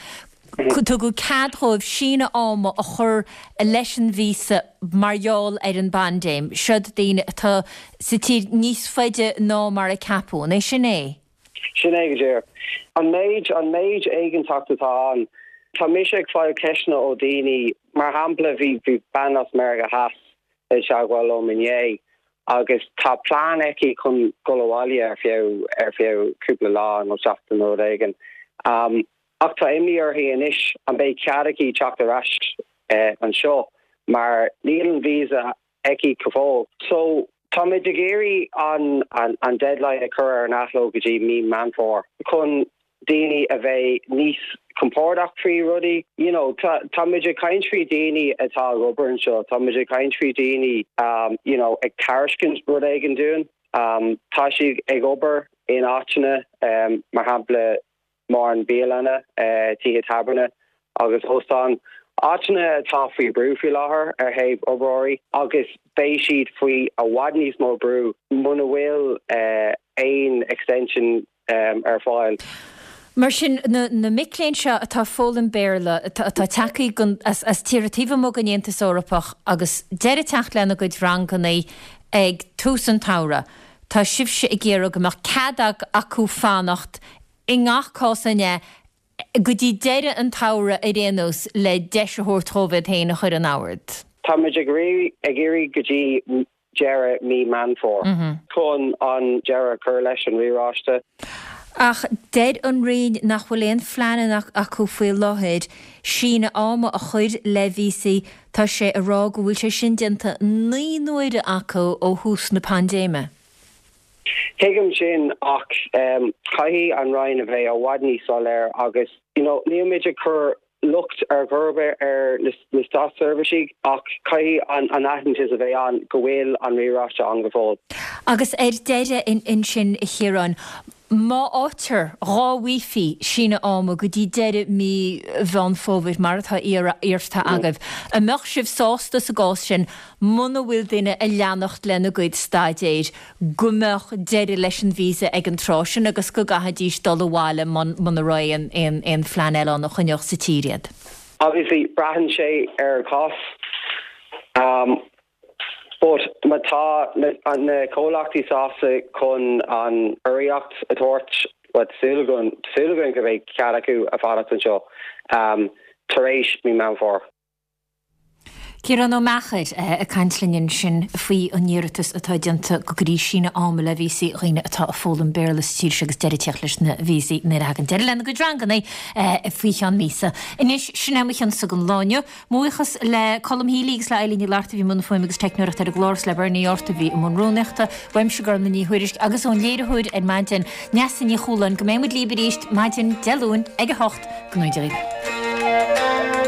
Tugadh cead dhóibh síneadh ama a chur leis an víosa mar gheall ar an bpaindéim. Siod daoine atá sa tír níos faide ná mar a ceapadh. An é sin é? Sin é go díreach. An méid, an méid éiginnteacht atá ann. Tá mise ag fáil ceisteanna ó daoine, mar shampla bhí, bhí bean as Meiriceá Theas i dteagmháil liom inné agus tá plean aici chun dul abhaile ar feadh, ar feadh cúpla lá nó seachtain nó rud éigin. Ach tá imní uirthi anois an mbeidh cead aici teacht ar ais anseo mar níl an visa aici go fóill. So táimid ag iarraidh an an deadline a chur ar an athló go dtí mí Meán Fómhair chun daoine a bheith níos compordach faoi rudaí. You know tá táimid ag caint faoi daoine atá ag obair anseo, táimid ag caint faoi daoine you know ag tairiscint rud éigin dúinn. Tá siad ag obair in áiteanna mar shampla mórán bialanna, tithe tábhairne agus óstáin, áiteanna atá faoi bhrú faoi láthair ar thaobh oibreoirí agus beidh siad faoi i bhfad níos mó brú muna bhfuil aon extension ar fáil. Mar sin, na mic léinn seo atá ag foghlaim Béarla, atá tagtha as tíortha taobh amuigh den Aontas Eorpach agus deireadh ag teacht lena gcuid ranganna ag tús an tsamhraidh, tá sibhse ag iarraidh go mbeadh cead acu fanacht i ngach cás an ea, go dtí deireadh an tsamhraidh ar aon nós le deis a thabhairt dhóibh iad féin a chur in ord. Táimid ag iarraidh go dtí deireadh mí Meán Fómhair chun an deireadh a chur leis an riaráiste. Ach deir an Roinn nach bhfuil aon phleananna acu faoi láthair síneadh ama a chur le víosaí, tá sé ag rá go bhfuil sé sin déanta 9 n-uaire acu ó thús na paindéime. Tuigim sin ach caithfidh an Roinn a bheith i bhfad níos soiléir agus you know nílimid ag cur locht ar chor ar bith ar na státseirbhísigh ach caithfidh an aitheantas a bheith ann go bhfuil an riaráiste ann go fóill. Agus ar deireadh ansin a Chiaráin, má fhaightear, dhá bhfaighfí síneadh ama go dtí deireadh mí Mheán Fómhair mar atá iarrta agaibh, an mbeadh sibh sásta sa gcás sin muna bhfuil duine ag leanacht lena gcuid staidéir, go mbeadh deireadh leis an víosa ag an tráth sin agus go gcaithfidís dul abhaile muna raibh aon aon phlean eile ann a choinneodh sa tír iad. Obviously, braitheann sé ar an chás. But má tá na comhlachtaí sásta chun an urraíocht a thabhairt, bhuel, tá súil againn, tá súil againn go mbeidh cead acu a fanacht anseo tar éis mí Meán Fómhair. Ciarán Ó Meachair ag caint linn ansin faoi an iarratas atá déanta go gcuirfí síneadh ama le víosaí dhaoine atá ag foghlaim Béarla sa tír seo agus deireadh ag teacht leis na víosaí nuair a thagann deireadh lena gcuid ranganna faoi cheann míosa. Anois, sin é mo chionsa don lá inniu. Mo bhuíochas le Colm Healy agus le Eileen Ní Fhlatharta a bhí i mbun fuaime agus teicneoireachta ar an gclár agus le Bernie Yortt a bhí i mbun rúnaíochta. Uaimse Gormlaith Ní Thuairisg agus ón léiritheoir ar maidin, Neasa Ní Chualáin, go mbeidh muid libh arís maidin Dé Luain ag 8. Go ngnóthaí Dia dhaoibh.